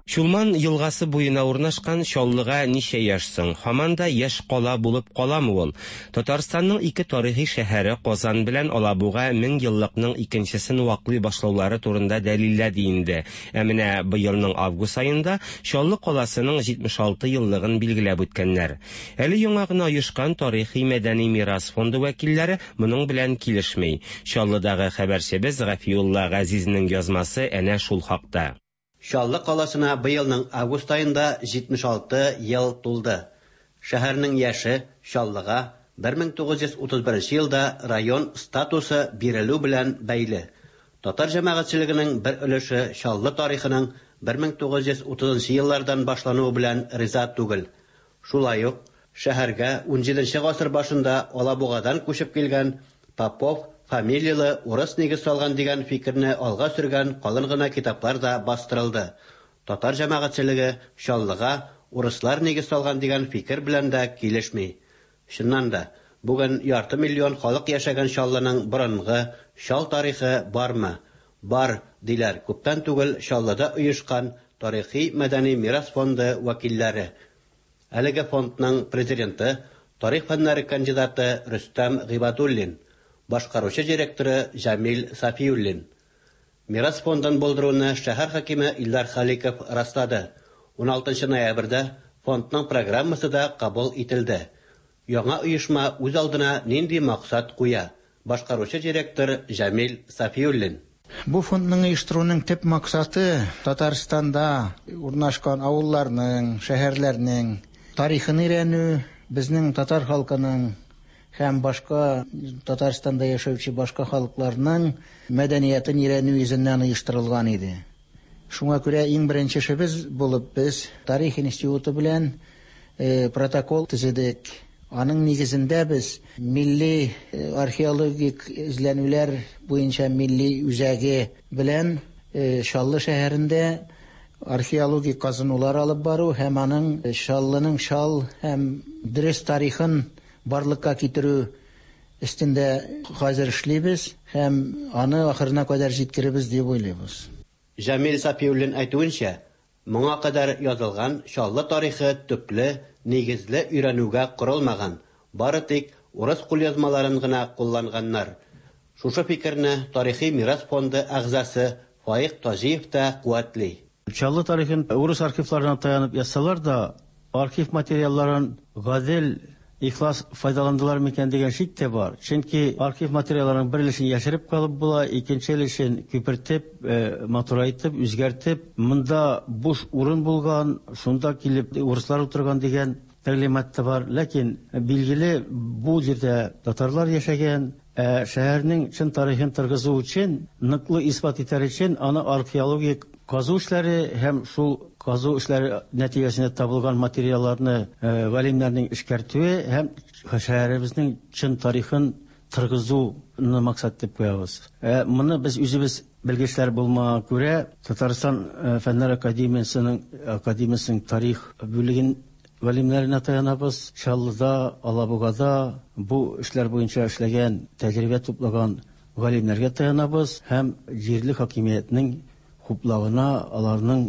Чулман елгасы буена урнашкан Чаллыга ничә яшь соң? Һаман да яшь кала булып каламы ул? Татарстанның ике тарихи шәһәре Казан белән Алабуга 1000 еллыкның икенчесен ваклый башлаулары турында дәлилләде инде. Ә менә быелның август аенда Чаллы каласының 76 еллыгын билгеләп үткәннәр. Әле яңа гына оешкан Тарихи-мәдәни мирас фонды вәкилләре моның белән килешми. Чаллыдагы хәбәрчебез Гафиулла Газизнең язмасы әнә шул хакта. Чаллы каласына быелның август аенда 76 ел тулды. Шәһәрнең яше Чаллыга 1931 елда район статусы бирелү белән бәйле. Татар җәмәгатьчелегенең бер өлеше Чаллы тарихының 1930 нчы еллардан башлануы белән риза түгел. Шулай ук шәһәргә унҗиденче гасыр башында Алабугадан күчеп килгән Попов фамилияле урыс нигез салган дигән фикерне алга сөргән калын гына китаплар да бастырылды. Татар җәмәгатьчелеге Чаллыга урыслар нигез салган дигән фикер белән дә килешми. Чыннан да, бүген ярты миллион халык яшәгән Чаллының борынгы, чал тарихы бармы? Бар, диләр күптән түгел Чаллыда оешкан Тарихи-мәдәни мирас фонды вәкилләре. Әлеге фондның президенты, тарих фәннәре кандидаты Рөстәм Гыйбадуллин, башкаручы директоры Җәмил Сафиуллин. Мирас фондын булдыруны шәһәр хакиме Илдар Халиков раслады. 16 ноябрьдә фондның программасы да кабул ителде. Яңа оешма үз алдына нинди максат куя? Башкаручы директор Җәмил Сафиуллин. Бу фондның оештыруның төп максаты, Татарстанда урнашкан авылларның, шәһәрләрнең тарихын өйрәнү, безнең татар халкының һәм башка Татарстанда яшәүче башка халыкларның мәдәниятен өйрәнү йөзеннән оештырылган иде. Шуңа күрә иң беренче эшебез булып без Тарих институты белән протокол төзедек. Аның нигезендә без милли археологик эзләнүләр буенча милли үзәге белән Чаллы шәһәрендә археологик казынулар алып бару һәм аның Чаллының чал һәм дөрес тарихын барлыкка китерү өстендә хәзер эшлибез һәм аны ахырына кадәр җиткеребез дип уйлыйбыз. Җәмил Сафиуллин әйтүенчә, моңа кадәр язылган Чаллы тарихы төпле, нигезле өйрәнүгә корылмаган, бары тик урыс кулъязмаларын гына кулланганнар. Шушы фикерне Тарихи мирас фонды әгъзасы Фаик Таҗиев та куәтли. Чаллы тарихын урыс архивларына таянып язсалар да, архив материалларын гадел, ихлас файдаландылар микән дигән шик тә бар. Чөнки архив материалларының бер өлешен яшереп калып була, икенче өлешен күпертеп, матурайтып, үзгәртеп, монда буш урын булган, шунда килеп урыслар утырган дигән тәгълимат та бар. Ләкин, билгеле, бу җирдә татарлар яшәгән, Ә шәһәрнең чын тарихын торгызу өчен, ныклы исбат итәр өчен, аны археологик казу эшләре һәм шул казу эшләре нәтиҗәсендә табылган материалларны галимнәрнең эшкәртүе һәм шәһәребезнең чын тарихын торгызуны максат итеп куябыз. Ә моны без үзебез белгечләр булмаганга күрә, Татарстан Фәннәр академиясенең академиясенең тарих бүлеген Галимнәренә таянабыз. Чаллыда, Алабугада бу эшләр буенча эшләгән, тәҗрибә туплаган галимнәргә таянабыз һәм җирле хакимиятнең хуплавына, аларның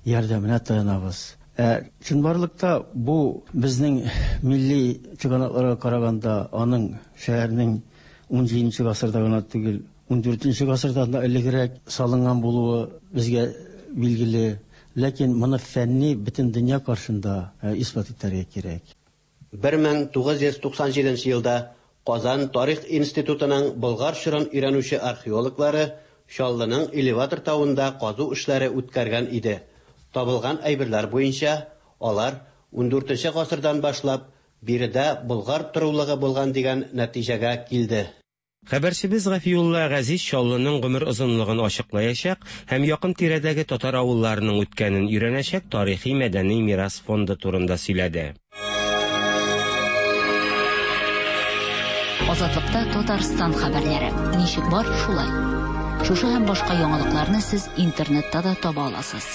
ярдәменә таянабыз. Ә чынбарлыкта бу безнең милли чыганакларга караганда аның шәһәрнең унҗиденче гасырда гына түгел, Ундүртенче гасырдан да элегрәк салынган булуы безгә билгеле. Ләкин моны фәнни бөтен дөнья каршында исбат итәргә кирәк. 1997 елда Казан тарих институтының Болгар чорын өйрәнүче археологлары Чаллының Элеватор тавында казу эшләре үткәргән иде. Табылган әйберләр буенча, алар ундүртенче гасырдан башлап биредә болгар торулыгы булган дигән нәтиҗәгә килде. Хәбәрчебез Гафиулла Газиз Чаллының гомер озынлыгын ачыклаячак һәм якын-тирәдәге татар авылларының үткәнен өйрәнәчәк тарихи-мәдәни мирас фонды турында сөйләде. Азатлыкта Татарстан хәбәрләре. Ничек бар, шулай. Шушы һәм башка яңалыкларны сез интернетта да таба аласыз.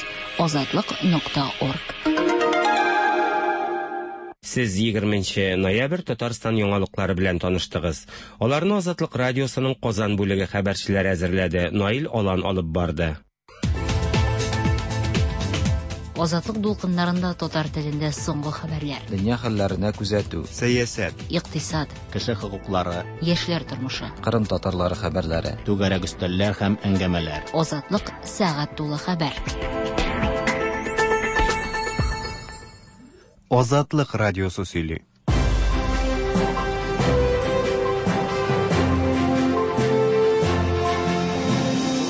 Азатлык нокта орг. Сез 20 нче ноябрь Татарстан яңалыклары белән таныштыгыз. Аларны Азатлык радиосының Казан бүлеге хәбәрчеләре әзерләде, Наил Алан алып барды. Азатлык дулкыннарында татар телендә соңгы хәбәрләр. Дөнья хәлләренә күзәтү. Сәясәт. Икътисад. Кеше хокуклары. Яшьләр тормышы. Кырым татарлары хәбәрләре. Түгәрәк өстәлләр һәм әңгәмәләр. Азатлык сәгать тулы хәбәр. Азатлык радиосы сөйли.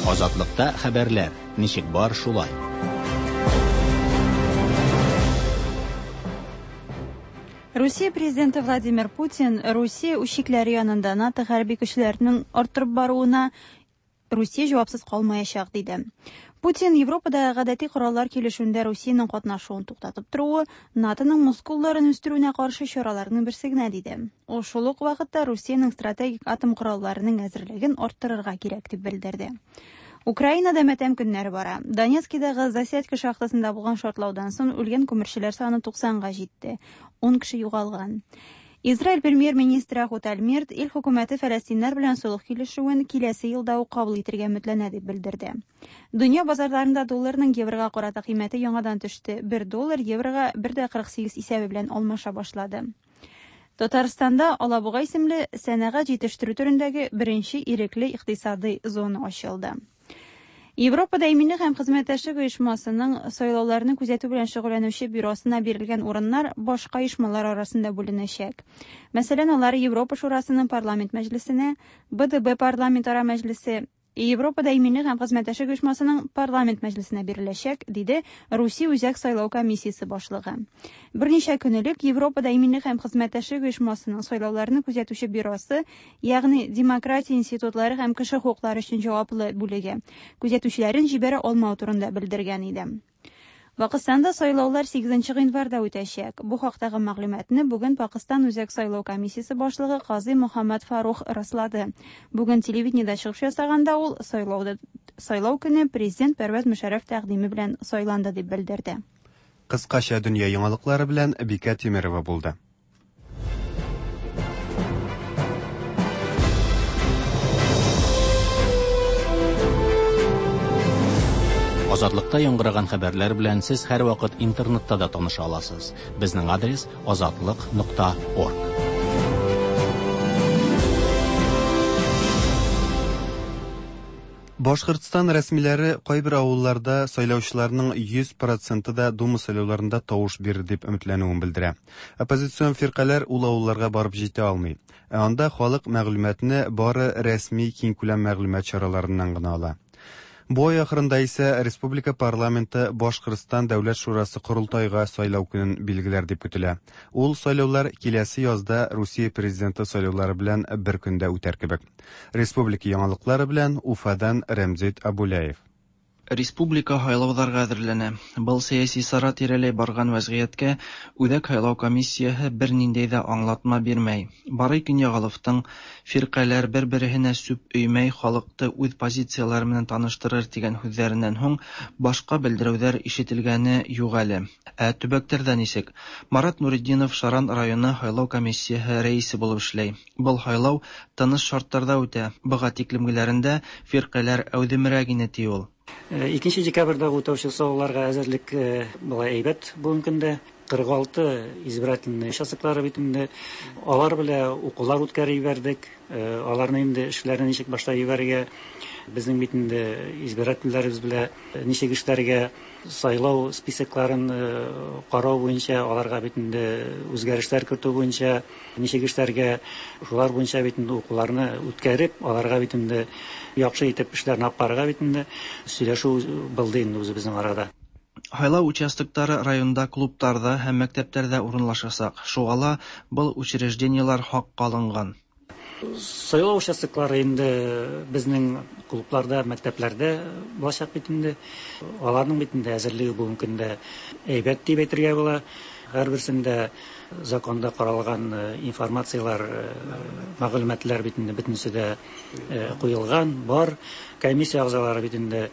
Азатлыкта хәбәрләр ничек бар шулай. Русия президенты Владимир Путин Русия үз чикләре янында НАТО хәрби көчләренең арттырып баруына Русия җавапсыз калмаячак, диде. Путин Европадагы гадәти кораллар килешүендә Русиянең катнашуын туктатып торуы НАТОның мускулларын үстерүенә каршы чараларның берсе генә, диде. Ул шул ук вакытта Русиянең стратегик атом коралларының әзерлеген арттырырга кирәк дип белдерде. Украинада матәм көннәре бара. Донецкидагы Засядько шахтасында булган шартлаудан соң үлгән күмерчеләр саны 90 га җитте. 10 кеше югалган. Израиль премьер-министры Ахут Альмерт ил хөкүмәте фәләстиннәр белән солых килешүен киләсе елда ук кабул итергә өметләнә дип белдерде. Дөнья базарларында долларның еврога карата кыйммәте яңадан төште. Бер доллар еврога 1,48 исәбе белән алмаша башлады. Татарстанда Алабуга исемле сәнәгать җитештерү төрендәге беренче ирекле икътисадый зона ачылды. Европада иминлек һәм хезмәттәшлек оешмасының сайлауларны күзәтү белән шөгыльләнүче бюросына бирелгән урыннар башка оешмалар арасында бүленәчәк. Мәсәлән, алар Европа Шурасының парламент мәҗлесенә, БДБ парламентара мәҗлесе, Европада иминлек һәм хезмәттәшлек оешмасының парламент мәҗлесенә биреләчәк, диде Русия Үзәк сайлау комиссиясе башлыгы. Берничә көн элек Европада иминлек һәм хезмәттәшлек оешмасының сайлауларны күзәтүче бюросы, ягъни демократия институтлары һәм кеше хокуклары өчен җаваплы бүлеге, күзәтүчеләрен җибәрә алмау турында белдергән иде. Пакыстанда сайлаулар 8 гыйнварда үтәчәк. Бу хактагы мәгълүматны бүген Пакыстан Үзәк сайлау комиссиясе башлыгы Казый Мөхәммәд Фарух раслады. Бүген телевидениедә чыгыш ясаганда ул сайлауда сайлау көне президент Пәрвәз Мөшәррәф тәкъдиме белән сайланды дип белдерде. Кыскача дөнья яңалыклары белән Бикә Тимерова булды. Азатлыкта яңгыраган хәбәрләр белән сез һәрвакыт интернетта да таныша аласыз. Безнең адрес азатлык.орг. Башкортстан рәсмиләре кайбер авылларда сайлаучыларның 100 проценты да Дума сайлауларында тавыш бирер дип өметләнүен белдерә. Оппозицион фиркаләр ул авылларга барып җитә алмый. Ә анда халык мәгълүматны бары рәсми киңкүләм мәгълүмат чараларыннан гына ала. Бу ай ахырында исә республика парламенты Башкортстан Дәүләт шурасы корылтайга сайлау көнен билгеләр дип көтелә. Ул сайлаулар киләсе язда Русия президенты сайлаулары белән бер көндә үтәр кебек. Республика яңалыклары белән Уфадан Рәмзит Абуляев. Республика һайлауҙарға әҙерләнә. Был сәйәси сара тирәләй барған вәзғиәткә Үҙәк һайлау комиссияһы бер ниндәй ҙә аңлатма бирмәй. Барый Көньяғаловтың фирҡәләр бер-береһенә сүп өймәй халыҡты үҙ позициялары менән таныштырыр тигән һүҙҙәренән һуң башҡа белдереүҙәр ишетелгәне юҡ әле. Ә төбәктәрҙә нисек? Марат Нуретдинов Шаран районы һайлау комиссияһы рәйесе булып эшләй. Был һайлау тыныс шарттарҙа үтә. Быға тиклемгеләрендә фирҡәләр әүҙемерәк ине, ти ул. 2 декабрьдә үтәүче сайлауларга әзерлек былай әйбәт бүгенге көндә. 46 избирательный участоклары бит инде. Алар белән укулар үткәреп җибәрдек. Аларны инде эшләрен ничек башлап җибәрергә, безнең бит инде избирательләребез белән ничек эшләргә, сайлау списокларын карау буенча, аларга бит инде үзгәрешләр кертү буенча ничек эшләргә, шулар буенча бит инде укуларны үткәреп, аларга бит инде яхшы итеп эшләрне алып барырга бит инде сөйләшү булды инде үзебезнең арада. Һайлау участоктары районда клубтарда һәм мәктәпләрдә урынлашачак. Шуңа ла был учреждениелар хакка алынган. Сайлау участоклары инде безнең клубларда, мәктәпләрдә булачак бит инде. Аларның бит инде әзерлеге бүгенге көндә әйбәт дип әйтергә була. Һәрберсендә законда каралган информацияләр, мәгълүматлар бит инде бөтенесе дә куелган, бар. Комиссия әгъзалары бит инде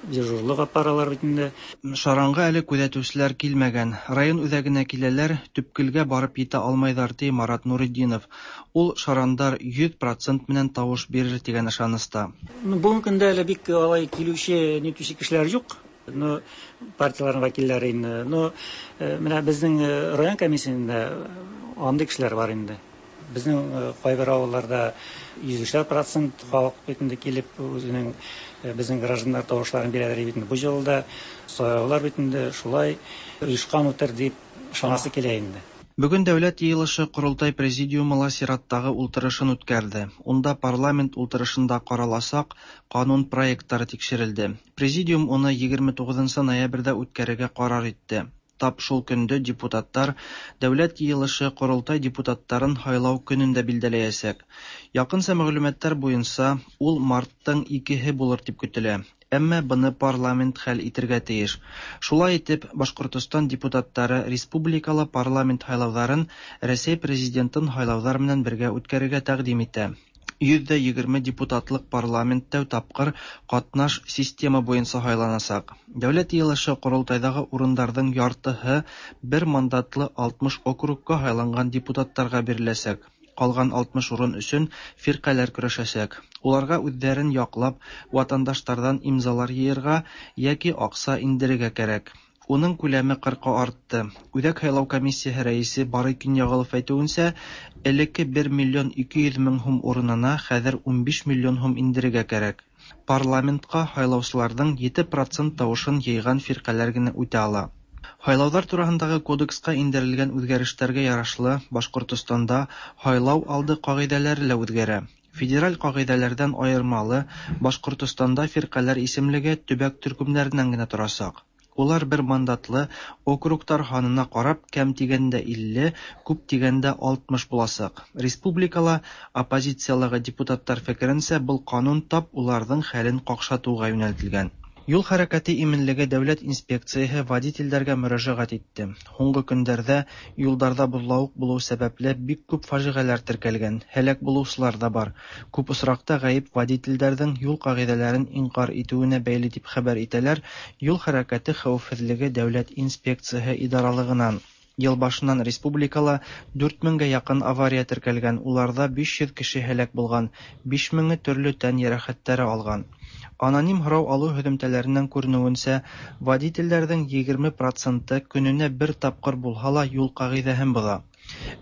дежурлык алып баралар бит инде. Шаранга әле күзәтүчеләр килмәгән. Район үзәгенә киләләр, төпкелгә барып җитә алмайдар, ди Марат Нуретдинов. Ул шарандар 100 процент менән тавыш бирер дигән ышаныста. Бүгенге көндә әле бик алай килүче, нитүче кешеләр юк. Ну, партияләрнең вәкилләре инде. Ну, менә безнең район комиссиясендә андый кешеләр бар инде. Безнең кайбер авылларда 103 процент халык бит инде килеп үзенең безнең гражданнар тавышларын бирәләр бит инде. Бу юлы сайлаулар бит инде шулай оешкан үтер дип ышанасы килә инде. Бүген Дәүләт йыелышы Корылтай президиумы ла чираттагы утырышын үткәрде. Унда парламент утырышында караласак канун проектлары тикшерелде. Президиум уны 29 ноябрьдә үткәрергә карар итте. Тап шул көндә депутатлар Дәүләт йыелышы Корылтай депутатларын һайлау көнен дә билгеләячәк. Якынча мәгълүматлар буенча, ул мартның 2-һе булыр дип көтелә. Әмма быны парламент хәл итергә тиеш. Шулай итеп, Башкортостан депутатлары республикалы парламент һайлауларын Рәсәй президентын һайлаулар белән бергә үткәрергә тәкъдим итә. 120 депутатлык парламент тәү тапкыр катнаш система буенча һайланачак. Дәүләт йыелышы Корылтайдагы урыннарның яртыһы бер мандатлы 60 округка һайланган депутатларга биреләчәк. Калган 60 урын өчен фиркаләр көрәшәчәк. Уларга үзләрен яклап, ватандашлардан имзалар йыярга яки акча индерергә кирәк. Уның күләме 40-ка артты. Үзәк һайлау комиссиясе рәисе Барый Көньягалов әйтүенчә, элекке 1 миллион 200 мең һум урынына хәзер 15 миллион һум индерергә кирәк. Парламентка һайлаучыларның 7% тавышын йыйган фиркаләр генә үтә ала. Һайлаулар турасындагы кодекска индерелгән үзгәрешләргә ярашлы, Башкортостанда һайлау алды кагыйдәләре лә үзгәрә. Федераль кагыйдәләрдән аермалы, Башкортостанда фиркаләр исемлеге төбәк төркемнәреннән генә торачак. Улар бер мандатлы округтар һанына карап, кәм дигәндә 50, күп дигәндә 60 булачак. Республикала оппозицияләге депутатлар фикеренчә, был канун тап уларның хәлен какшатуга юнәлтелгән. Юл хәрәкәте иминлеге дәүләт инспекцияһе водительләргә мөрәҗәгать итте. Һуңгы көндәрдә юлдарда бозлавык булу сәбәпле бик күп фаҗигаләр теркәлгән, һәлак булучылар да бар. Күп очракта гаеп водительләрнең юл кагыйдәләрен инкар итүенә бәйле дип хәбәр итәләр Юл хәрәкәте хәвефсезлеге дәүләт инспекцияһе идаралыгынан. Ел башыннан республикала 4000гә якын авария теркәлгән, уларда 500 кеше һәлак булган, 5000-е төрле тән ярәхәтләре алган. Аноним һорау алу һөҙөмтәләреннән күренүенсә, водительләрнең 20% көненә бер тапкыр булһа ла юл кагыйдәһен боҙа.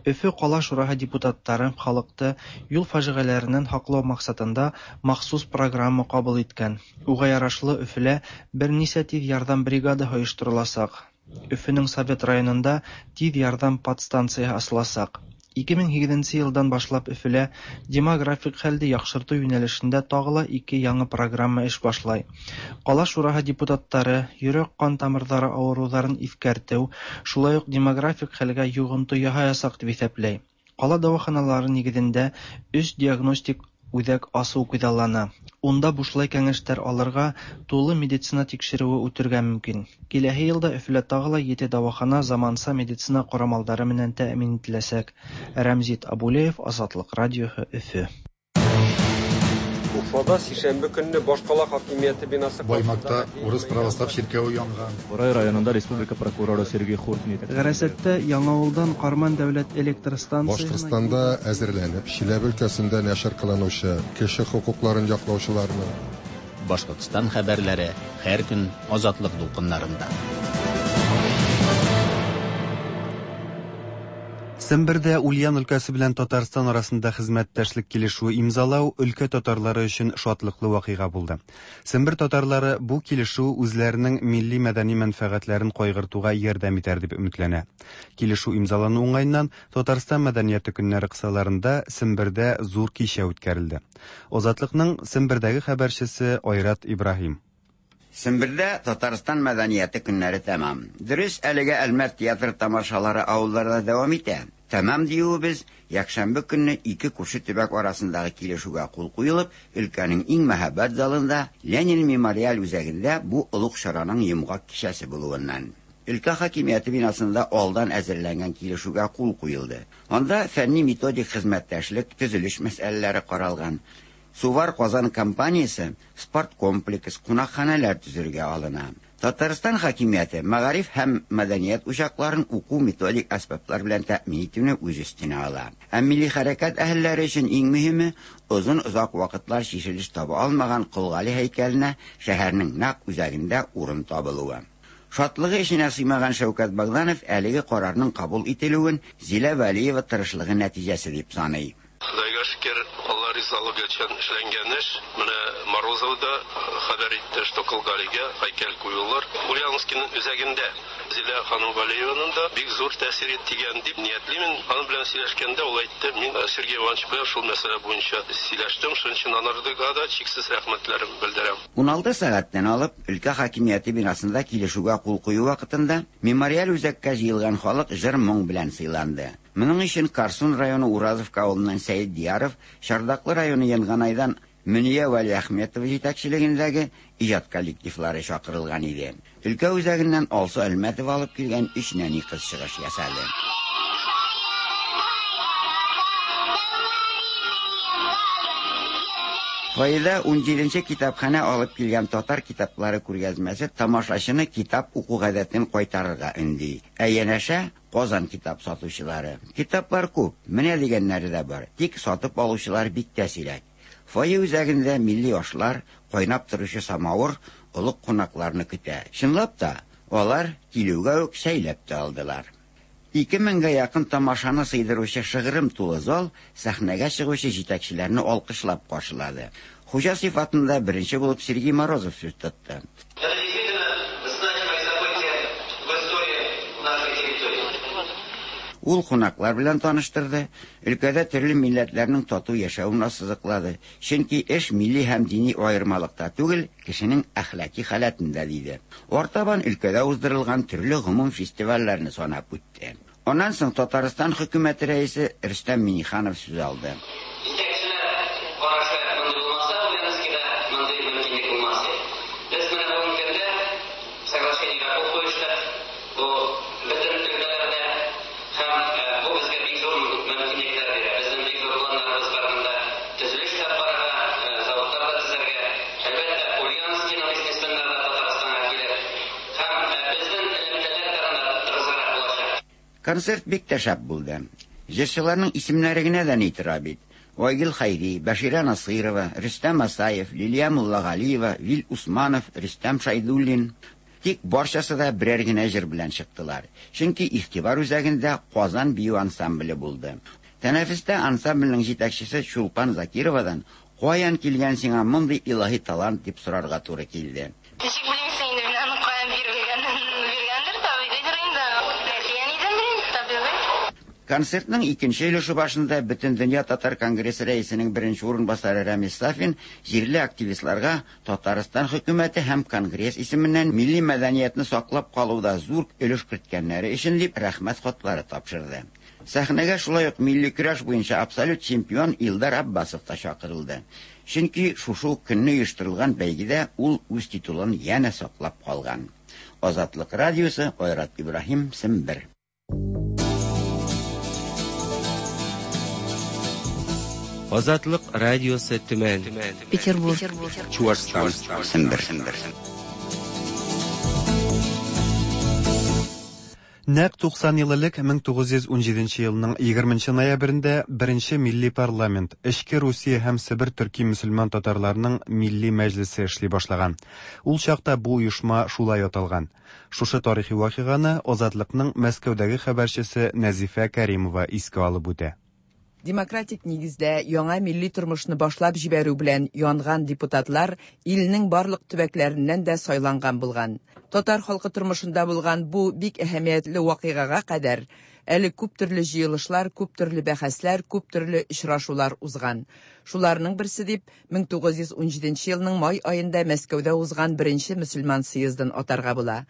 Өфө ҡала шураһы депутаттары халыҡты юл фажиғәләренән һаҡлау маҡсатында махсус программа ҡабул иткән. Уға ярашлы Өфөлә бер нисә тиҙ ярҙам бригадаһы ойоштороласаҡ. Өфөнөң Совет районында тиҙ ярҙам подстанцияһы асыласаҡ. 2008 йылдан башлап Өфөлә демографик хәлде яҡшыртыу йүнәлешендә тағы ла ике яңы программа эш башлай. Ҡала шураһы депутаттары йөрәк-ҡан тамырҙары ауырыуҙарын иҫкәртеү, шулай уҡ демографик хәлгә йоғонто яһаясаҡ тип иҫәпләй. Ҡала дауаханалары нигеҙендә 3 диагностик үҙәк асыу күҙаллана. Унда бушлай кәңәштәр алырға, тулы медицина тикшереүе үтергә мөмкин. Киләһе йылда Өфөлә тағы ла 7 дауахана заманса медицина ҡорамалдары менән тәьмин ителәсәк. Рәмзит Абулеев, Азатлыҡ радиоһы, Өфө. Уфада сишәмбе көнне башкала хакимияте бинасы Баймакта урыс православ чиркәве янган. Бурай районында республика прокуроры Сергей Хуртни. Ғәрәсәттә Яңауылдан Карман дәүләт электр станциясына Башкортстанда әзерләнеп, Чиләбе өлкәсендә нәшер кылынучы кеше хокукларын яклаучыларны Башкортстан хәбәрләре һәр көн Азатлык дулкыннарында. Сембердә Ульян өлкәсе белән Татарстан арасында хезмәттәшлек килешүе имзалау өлкә татарлары өчен шатлыклы вакыйга булды. Сембер татарлары бу килешү үзләренең милли-мәдәни мәнфәгатьләрен кайгыртуга ярдәм итәр дип өметләнә. Килешү имзалану уңаеннан Татарстан мәдәнияте көннәре кысаларында Сембердә зур кичә үткәрелде. Азатлыкның Сембердәге хәбәрчесе Айрат Ибраһим. Сембердә Татарстан мәдәнияте көннәре тәмам. Дөрес, әлегә Әлмәт театры тамашалары авылларда дәвам итә. Тәмам диюебез, якшәмбе көнне ике күрше төбәк арасындагы килешүгә кул куелып, өлкәнең иң мәһабәт залында, Ленин мемориаль үзәгендә бу олуг чараның йомгак кичәсе булуыннан. Өлкә хакимияте бинасында алдан әзерләнгән килешүгә кул куелды. Анда фәнни-методик хезмәттәшлек, төзелеш мәсьәләләре каралган. Сувар Казан компаниясе спорткомплекс, кунакханәләр төзергә алына. Татарстан хакимияте мәгариф һәм мәдәният учакларын уку-методик әсбаплар белән тәэмин итүне үз өстенә ала. Ә милли хәрәкәт әһелләре өчен иң мөһиме, озын-озак вакытлар чишелеш таба алмаган Кол Гали һәйкәленә шәһәрнең нәкъ үзәгендә урын табылуы. Шатлыгы эченә сыймаган Шәүкәт Богданов әлеге карарның кабул ителүен Зилә Вәлиева тырышлыгы нәтиҗәсе дип саный. Ходайга шөкер, Алла ризалыгы өчен эшләнгән эш. Менә Морозов да хәбәр итте, что Кол Галигә һәйкәл куюлар. Ульяновскиның үзәгендә. Зилә ханым Вәлиеваның да бик зур тәэсире тигән дип ниятлимен. Аның белән сөйләшкәндә ул әйтте, мин Сергей Иванович белән шул мәсьәлә буенча сөйләштем, шуның өчен анарга да чиксез рәхмәтләрем белдерәм. 16 сәгатьтән алып, өлкә хакимияте бинасында килешүгә кул кую вакытында мемориаль үзәккә җыелган халык җыр-моң белән сыйланды. Моның өчен Карсун районы Уразовка авылыннан Сәет Дияров, Чардаклы районы Янганайдан Мөния Вәлиәхметова җитәкчелегендәге иҗат коллективлары чакырылган иде. Өлкә үзәгеннән Алсу Әлмәтова алып килгән өч нәни кыз чыгыш ясады. Фойеда унҗиденче китапханә алып килгән татар китаплары күргәзмәсе тамашачыны китап уку гадәтен кайтарырга өнди. Ә янәшә Казан китап сатучылары. Китаплар күп, менә дигәннәре дә бар, тик сатып алучылар бик тә сирәк. Фойе үзәгендә милли ашлар, кайнап торучы самавыр олуг кунакларны көтә. Чынлап та, алар килүгә үк чәйләп тә алдылар. Ике меңгә якын тамашаны сыйдыручы шыгрым тулы зал сәхнәгә чыгучы җитәкчеләрне алкышлап каршылады. Хуҗа сыйфатында беренче булып Сергей Морозов сүз тотты. Ул кунаклар белән таныштырды, өлкәдә төрле милләтләрнең тату яшәвен ассызыклады, чөнки эш милли һәм дини аермалыкта түгел, кешенең әхлаки халәтендә, диде. Артабан өлкәдә уздырылган төрле гомум фестивальләрне санап үтте. Аннан соң Татарстан хөкүмәте рәисе Рөстәм Миңнеханов сүз алды. Җитәкчеләр карашы мондый булмаса, Ульяновскида мондый мөмкинлек булмас иде. Без менә бүгенге көндә соглашениегә кул куештык. Бу бөтен өлкәләрдә һәм бу безгә бик зур мөмкинлекләр бирә. Безнең бик зур планнарыбыз бар монда төзелеш тә апарырга, заводлар да төзергә. Әлбәттә, Ульяновскиның бизнесменнары да Татарстанга килер. Һәм безнең элемтәләр тагын да тыгызрак булачак. Концерт бик тә шәп булды. Җырчыларның исемнәре генә дә ни тора бит. Айгөл Хәйри, Бәширә Насыйрова, Рөстәм Асаев, Лилия Муллагалиева, Вил Усманов, Рөстәм Шәйдуллин. Тик барчасы да берәр генә җыр белән чыктылар. Чөнки игътибар үзәгендә Казан бию ансамбле булды. Тәнәфестә ансамбльнең җитәкчесе Чулпан Закировадан Каян килгән сиңа мондый илаһи талант дип сорарга туры килде. Ничек белмисең инде, мин аның каян бирелгәнен биргәндер, табигыйдыр инде. Әти-әнидәндер инде, табигый. Концертның икенче өлеше башында Бөтендөнья татар конгрессы рәисенең беренче урынбасары Рәмис Сафин җирле активистларга Татарстан хөкүмәте һәм конгресс исеменнән милли мәдәниятне саклап калуда зур өлеш керткәннәре өчен дип рәхмәт хатлары тапшырды. Сәхнәгә шулай ук милли көрәш буенча абсолют чемпион Илдар Аббасов та чакырылды. Чөнки шушы ук көнне оештырылган бәйгедә ул үз титулын янә саклап калган. Азатлык радиосы, Айрат Ибраһим, Сембер. Азатлык радиосы Төмән. Петербург. Чуашстан. Сембер. Нәкъ 90 ел элек 1917 елның 20 ноябрендә беренче милли парламент, Эчке Русия һәм Себер төрки мөселман татарларының милли мәҗлесе эшли башлаган. Ул чакта бу оешма шулай аталган. Шушы тарихи вакыйганы Азатлыкның Мәскәүдәге хәбәрчесе Нәзифә Кәримова искә алып үтә. Демократик нигездә яңа милли тормышны башлап җибәрү белән янган депутатлар илнең барлык төбәкләреннән дә сайланган булган. Татар халкы тормышында булган бу бик әһәмиятле вакыйгага кадәр әле күп төрле җыелышлар, күп төрле бәхәсләр, күп төрле очрашулар узган. Шуларның берсе дип 1917 елның май аенда Мәскәүдә узган беренче мөселман съездын атарга була.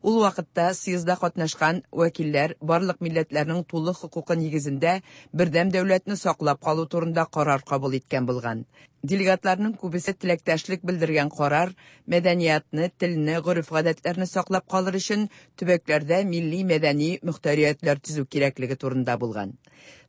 Ул вакытта съездда катнашкан вәкилләр барлык милләтләрнең тулы хокукы нигезендә бердәм дәүләтне саклап калу турында карар кабул иткән булган. Делегатларның күбесе теләктәшлек белдергән карар мәдәниятны, телне, гореф-гадәтләрне саклап калыр өчен төбәкләрдә милли мәдәни мөхтәриятләр төзү кирәклеге турында булган.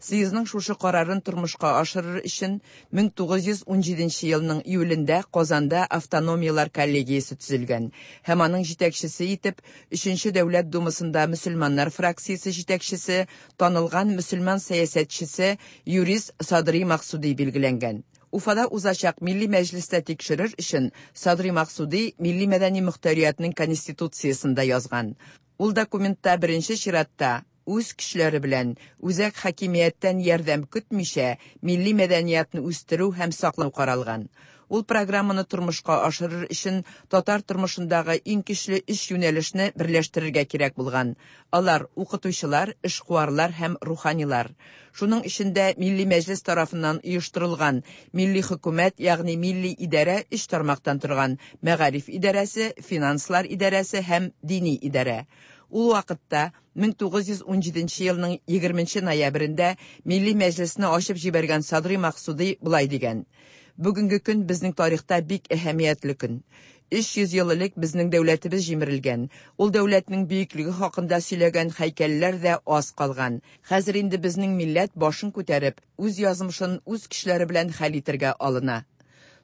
Съездның шушы карарын тормышка ашырыр өчен 1917 елның июлендә Казанда автономияләр коллегиясе төзелгән һәм аның җитәкчесе итеп 3нче дәүләт думасында мөселманнар фракциясе җитәкчесе, танылган мөселман сәясәтчесе юрист Садри Максуди билгеләнгән. Уфада узачак милли мәҗлестә тикшерер өчен Садри Максуди милли мәдәни мөхтәриятнең конституциясендә язган. Ул документта беренче чиратта үз көчләре белән үзәк хакимияттән ярдәм көтмичә милли мәдәниятне үстерү һәм саклау каралган. Ул программаны тормышка ашырыр өчен татар тормышындагы иң көчле өч юнәлешне берләштерергә кирәк булган. Алар укытучылар, эшкуарлар һәм руханилар. Шуның эчендә Милли Мәҗлес тарафыннан оештырылган милли хөкүмәт, ягъни милли идарә өч тармактан торган: мәгариф идарәсе, финанслар идарәсе һәм дини идарә. Ул вакытта 1917 елның 20 ноябрендә Милли Мәҗлесне ачып җибәргән Садри Максуди болай дигән: Бүгенге көн безнең тарихта бик әһәмиятле көн. 300 ел элек безнең дәүләтебез җимерелгән. Ул дәүләтнең бөеклеге хакында сөйләгән һәйкәлләр дә аз калган. Хәзер инде безнең милләт башын күтәреп, үз язмышын үз көчләре белән хәл итәргә алына.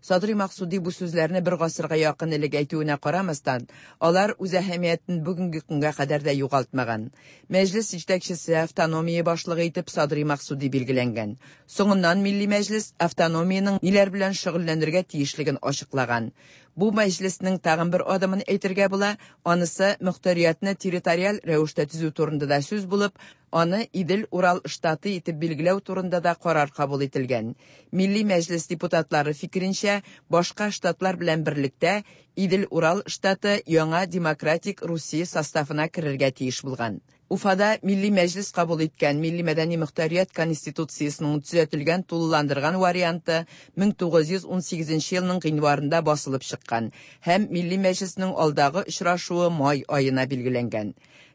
Садри Максуди бу сүзләрне бер гасырга якын элек әйтүенә карамастан, алар үз әһәмиятен бүгенге көнгә кадәр дә югалтмаган. Мәҗлес җитәкчесе автономия башлыгы итеп Садри Максуди билгеләнгән. Соңыннан Милли Мәҗлес автономиянең ниләр белән шөгыльләнергә тиешлеген ачыклаган. Бу мәҗлеснең тагын бер адымын әйтергә була, анысы мөхтәриятне территориаль рәвештә төзү турында да сүз булып, аны Идел-Урал штаты итеп билгеләү турында да карар кабул ителгән. Милли Мәҗлес депутатлары фикеренчә, башка штатлар белән берлектә Идел-Урал штаты яңа демократик Русия составына керергә тиеш булган. Уфада Милли Мәҗлес кабул иткән Милли мәдәни мөхтәрият конституциясенең төзәтелгән тулыландырган варианты 1918 елның гыйнварында басылып чыккан һәм Милли Мәҗлеснең алдагы очрашуы май аена билгеләнгән.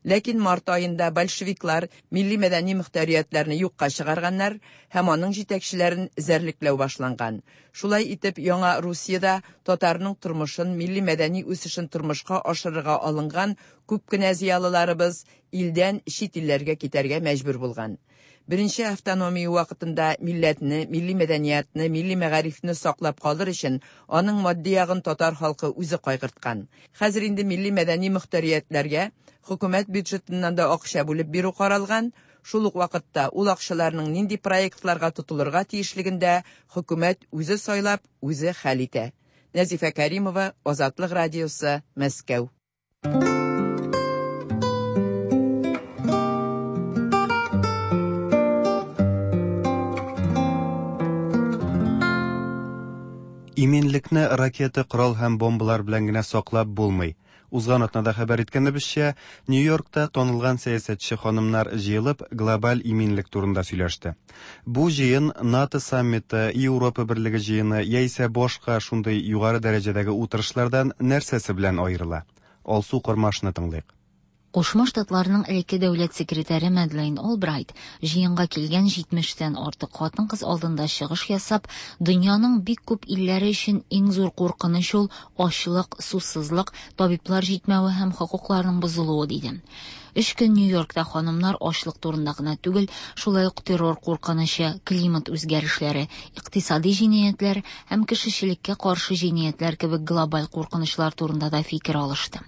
Ләкин март аенда большевиклар милли мәдәни мөхтәриятләрне юкка чыгарганнар һәм аның җитәкчеләрен эзәрлекләү башланган. Шулай итеп, яңа Русиядә татарның тормышын, милли мәдәни үсешен тормышка ашырырга алынган күп кенә зыялыларыбыз илдән чит илләргә китәргә мәҗбүр булган. Беренче автономия вакытында милләтне, милли мәдәниятне, милли мәгарифне саклап калыр өчен аның матди ягын татар халкы үзе кайгырткан. Хәзер инде милли мәдәни мөхтәриятләргә хөкүмәт бюджетыннан да акча бүлеп бирү каралган, шул ук вакытта ул акчаларның нинди проектларга тотылырга тиешлеген дә хөкүмәт үзе сайлап, үзе хәл итә. Нәзифә Кәримова, Азатлык радиосы, Мәскәү. Иминлекне ракета, корал һәм бомбалар белән генә саклап булмый. Узган атнада хәбәр иткәнебезчә, Нью-Йоркта танылган сәясәтче ханымнар җыелып, глобаль иминлек турында сөйләште. Бу җыен НАТО саммиты, Европа берлеге җыены яисә башка шундый югары дәрәҗәдәге утырышлардан нәрсәсе белән аерыла? Алсу Кормашны тыңлыйк. Кушма Штатларның элекке дәүләт секретаре Мәдлейн Олбрайт җыенга килгән 70тән артык хатын-кыз алдында чыгыш ясап, дөньяның бик күп илләре өчен иң зур куркыныч ул ачлык, сусызлык, табиблар җитмәве һәм хокукларның бозылуы диде. Өч көн Нью-Йоркта ханымнар ачлык турында гына түгел, шулай ук террор куркынычы, климат үзгәрешләре, икътисади җинаятьләр һәм кешечелеккә каршы җинаятьләр кебек глобаль куркынычлар турында да фикер алышты.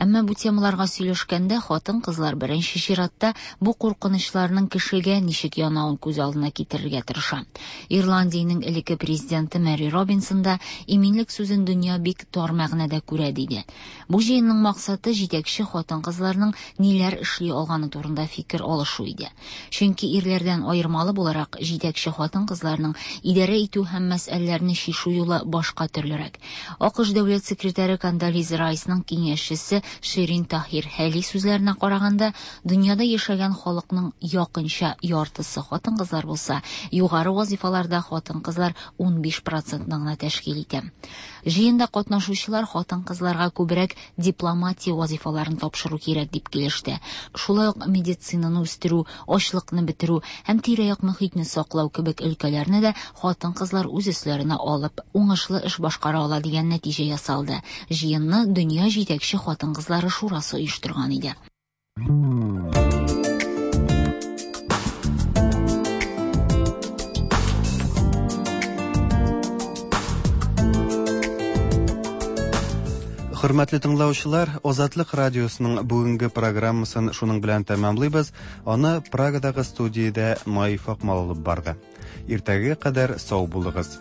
Әмма бу темаларга сөйләшкәндә хатын-кызлар беренче чиратта бу куркынычларның кешегә ничек янавын күз алдына китерергә тырыша. Ирландиянең элекке президенты Мэри Робинсон да иминлек сүзен дөнья бик тар мәгънәдә күрә диде. Бу җыенның максаты җитәкче хатын-кызларның ниләр эшли алганы турында фикер алышу иде. Чөнки ирләрдән аермалы буларак, җитәкче хатын-кызларның идарә итү һәм мәсьәләләрне чишү юлы башка төрлерәк. АКШ дәүләт секретаре Кондолиза Райсның киңәшчесе Ширин Таһир Хәли сүзләренә караганда, дөньяда яшәгән халыкның якынча яртысы хатын-кызлар булса, югары вазифаларда хатын-кызлар 15 процентны гына тәшкил итә. Җыенда катнашучылар хатын-кызларга күбрәк дипломатия вазифаларын тапшыру кирәк дип килеште. Шулай ук медицинаны үстерү, ачлыкны бетерү һәм тирә-як мохитне саклау кебек өлкәләрне дә хатын-кызлар үз өсләренә алып, уңышлы эш башкара ала дигән нәтиҗә ясалды. Җыенны Дөнья җитәкче хатын-кызлары шурасы оештырган иде. Хөрмәтле тыңлаучылар, Азатлык радиосының бүгенге программасын шуның белән тәмамлыйбыз. Аны Прагадагы студиядә Наиф Акмал алып барды. Иртәгә кадәр сау булыгыз.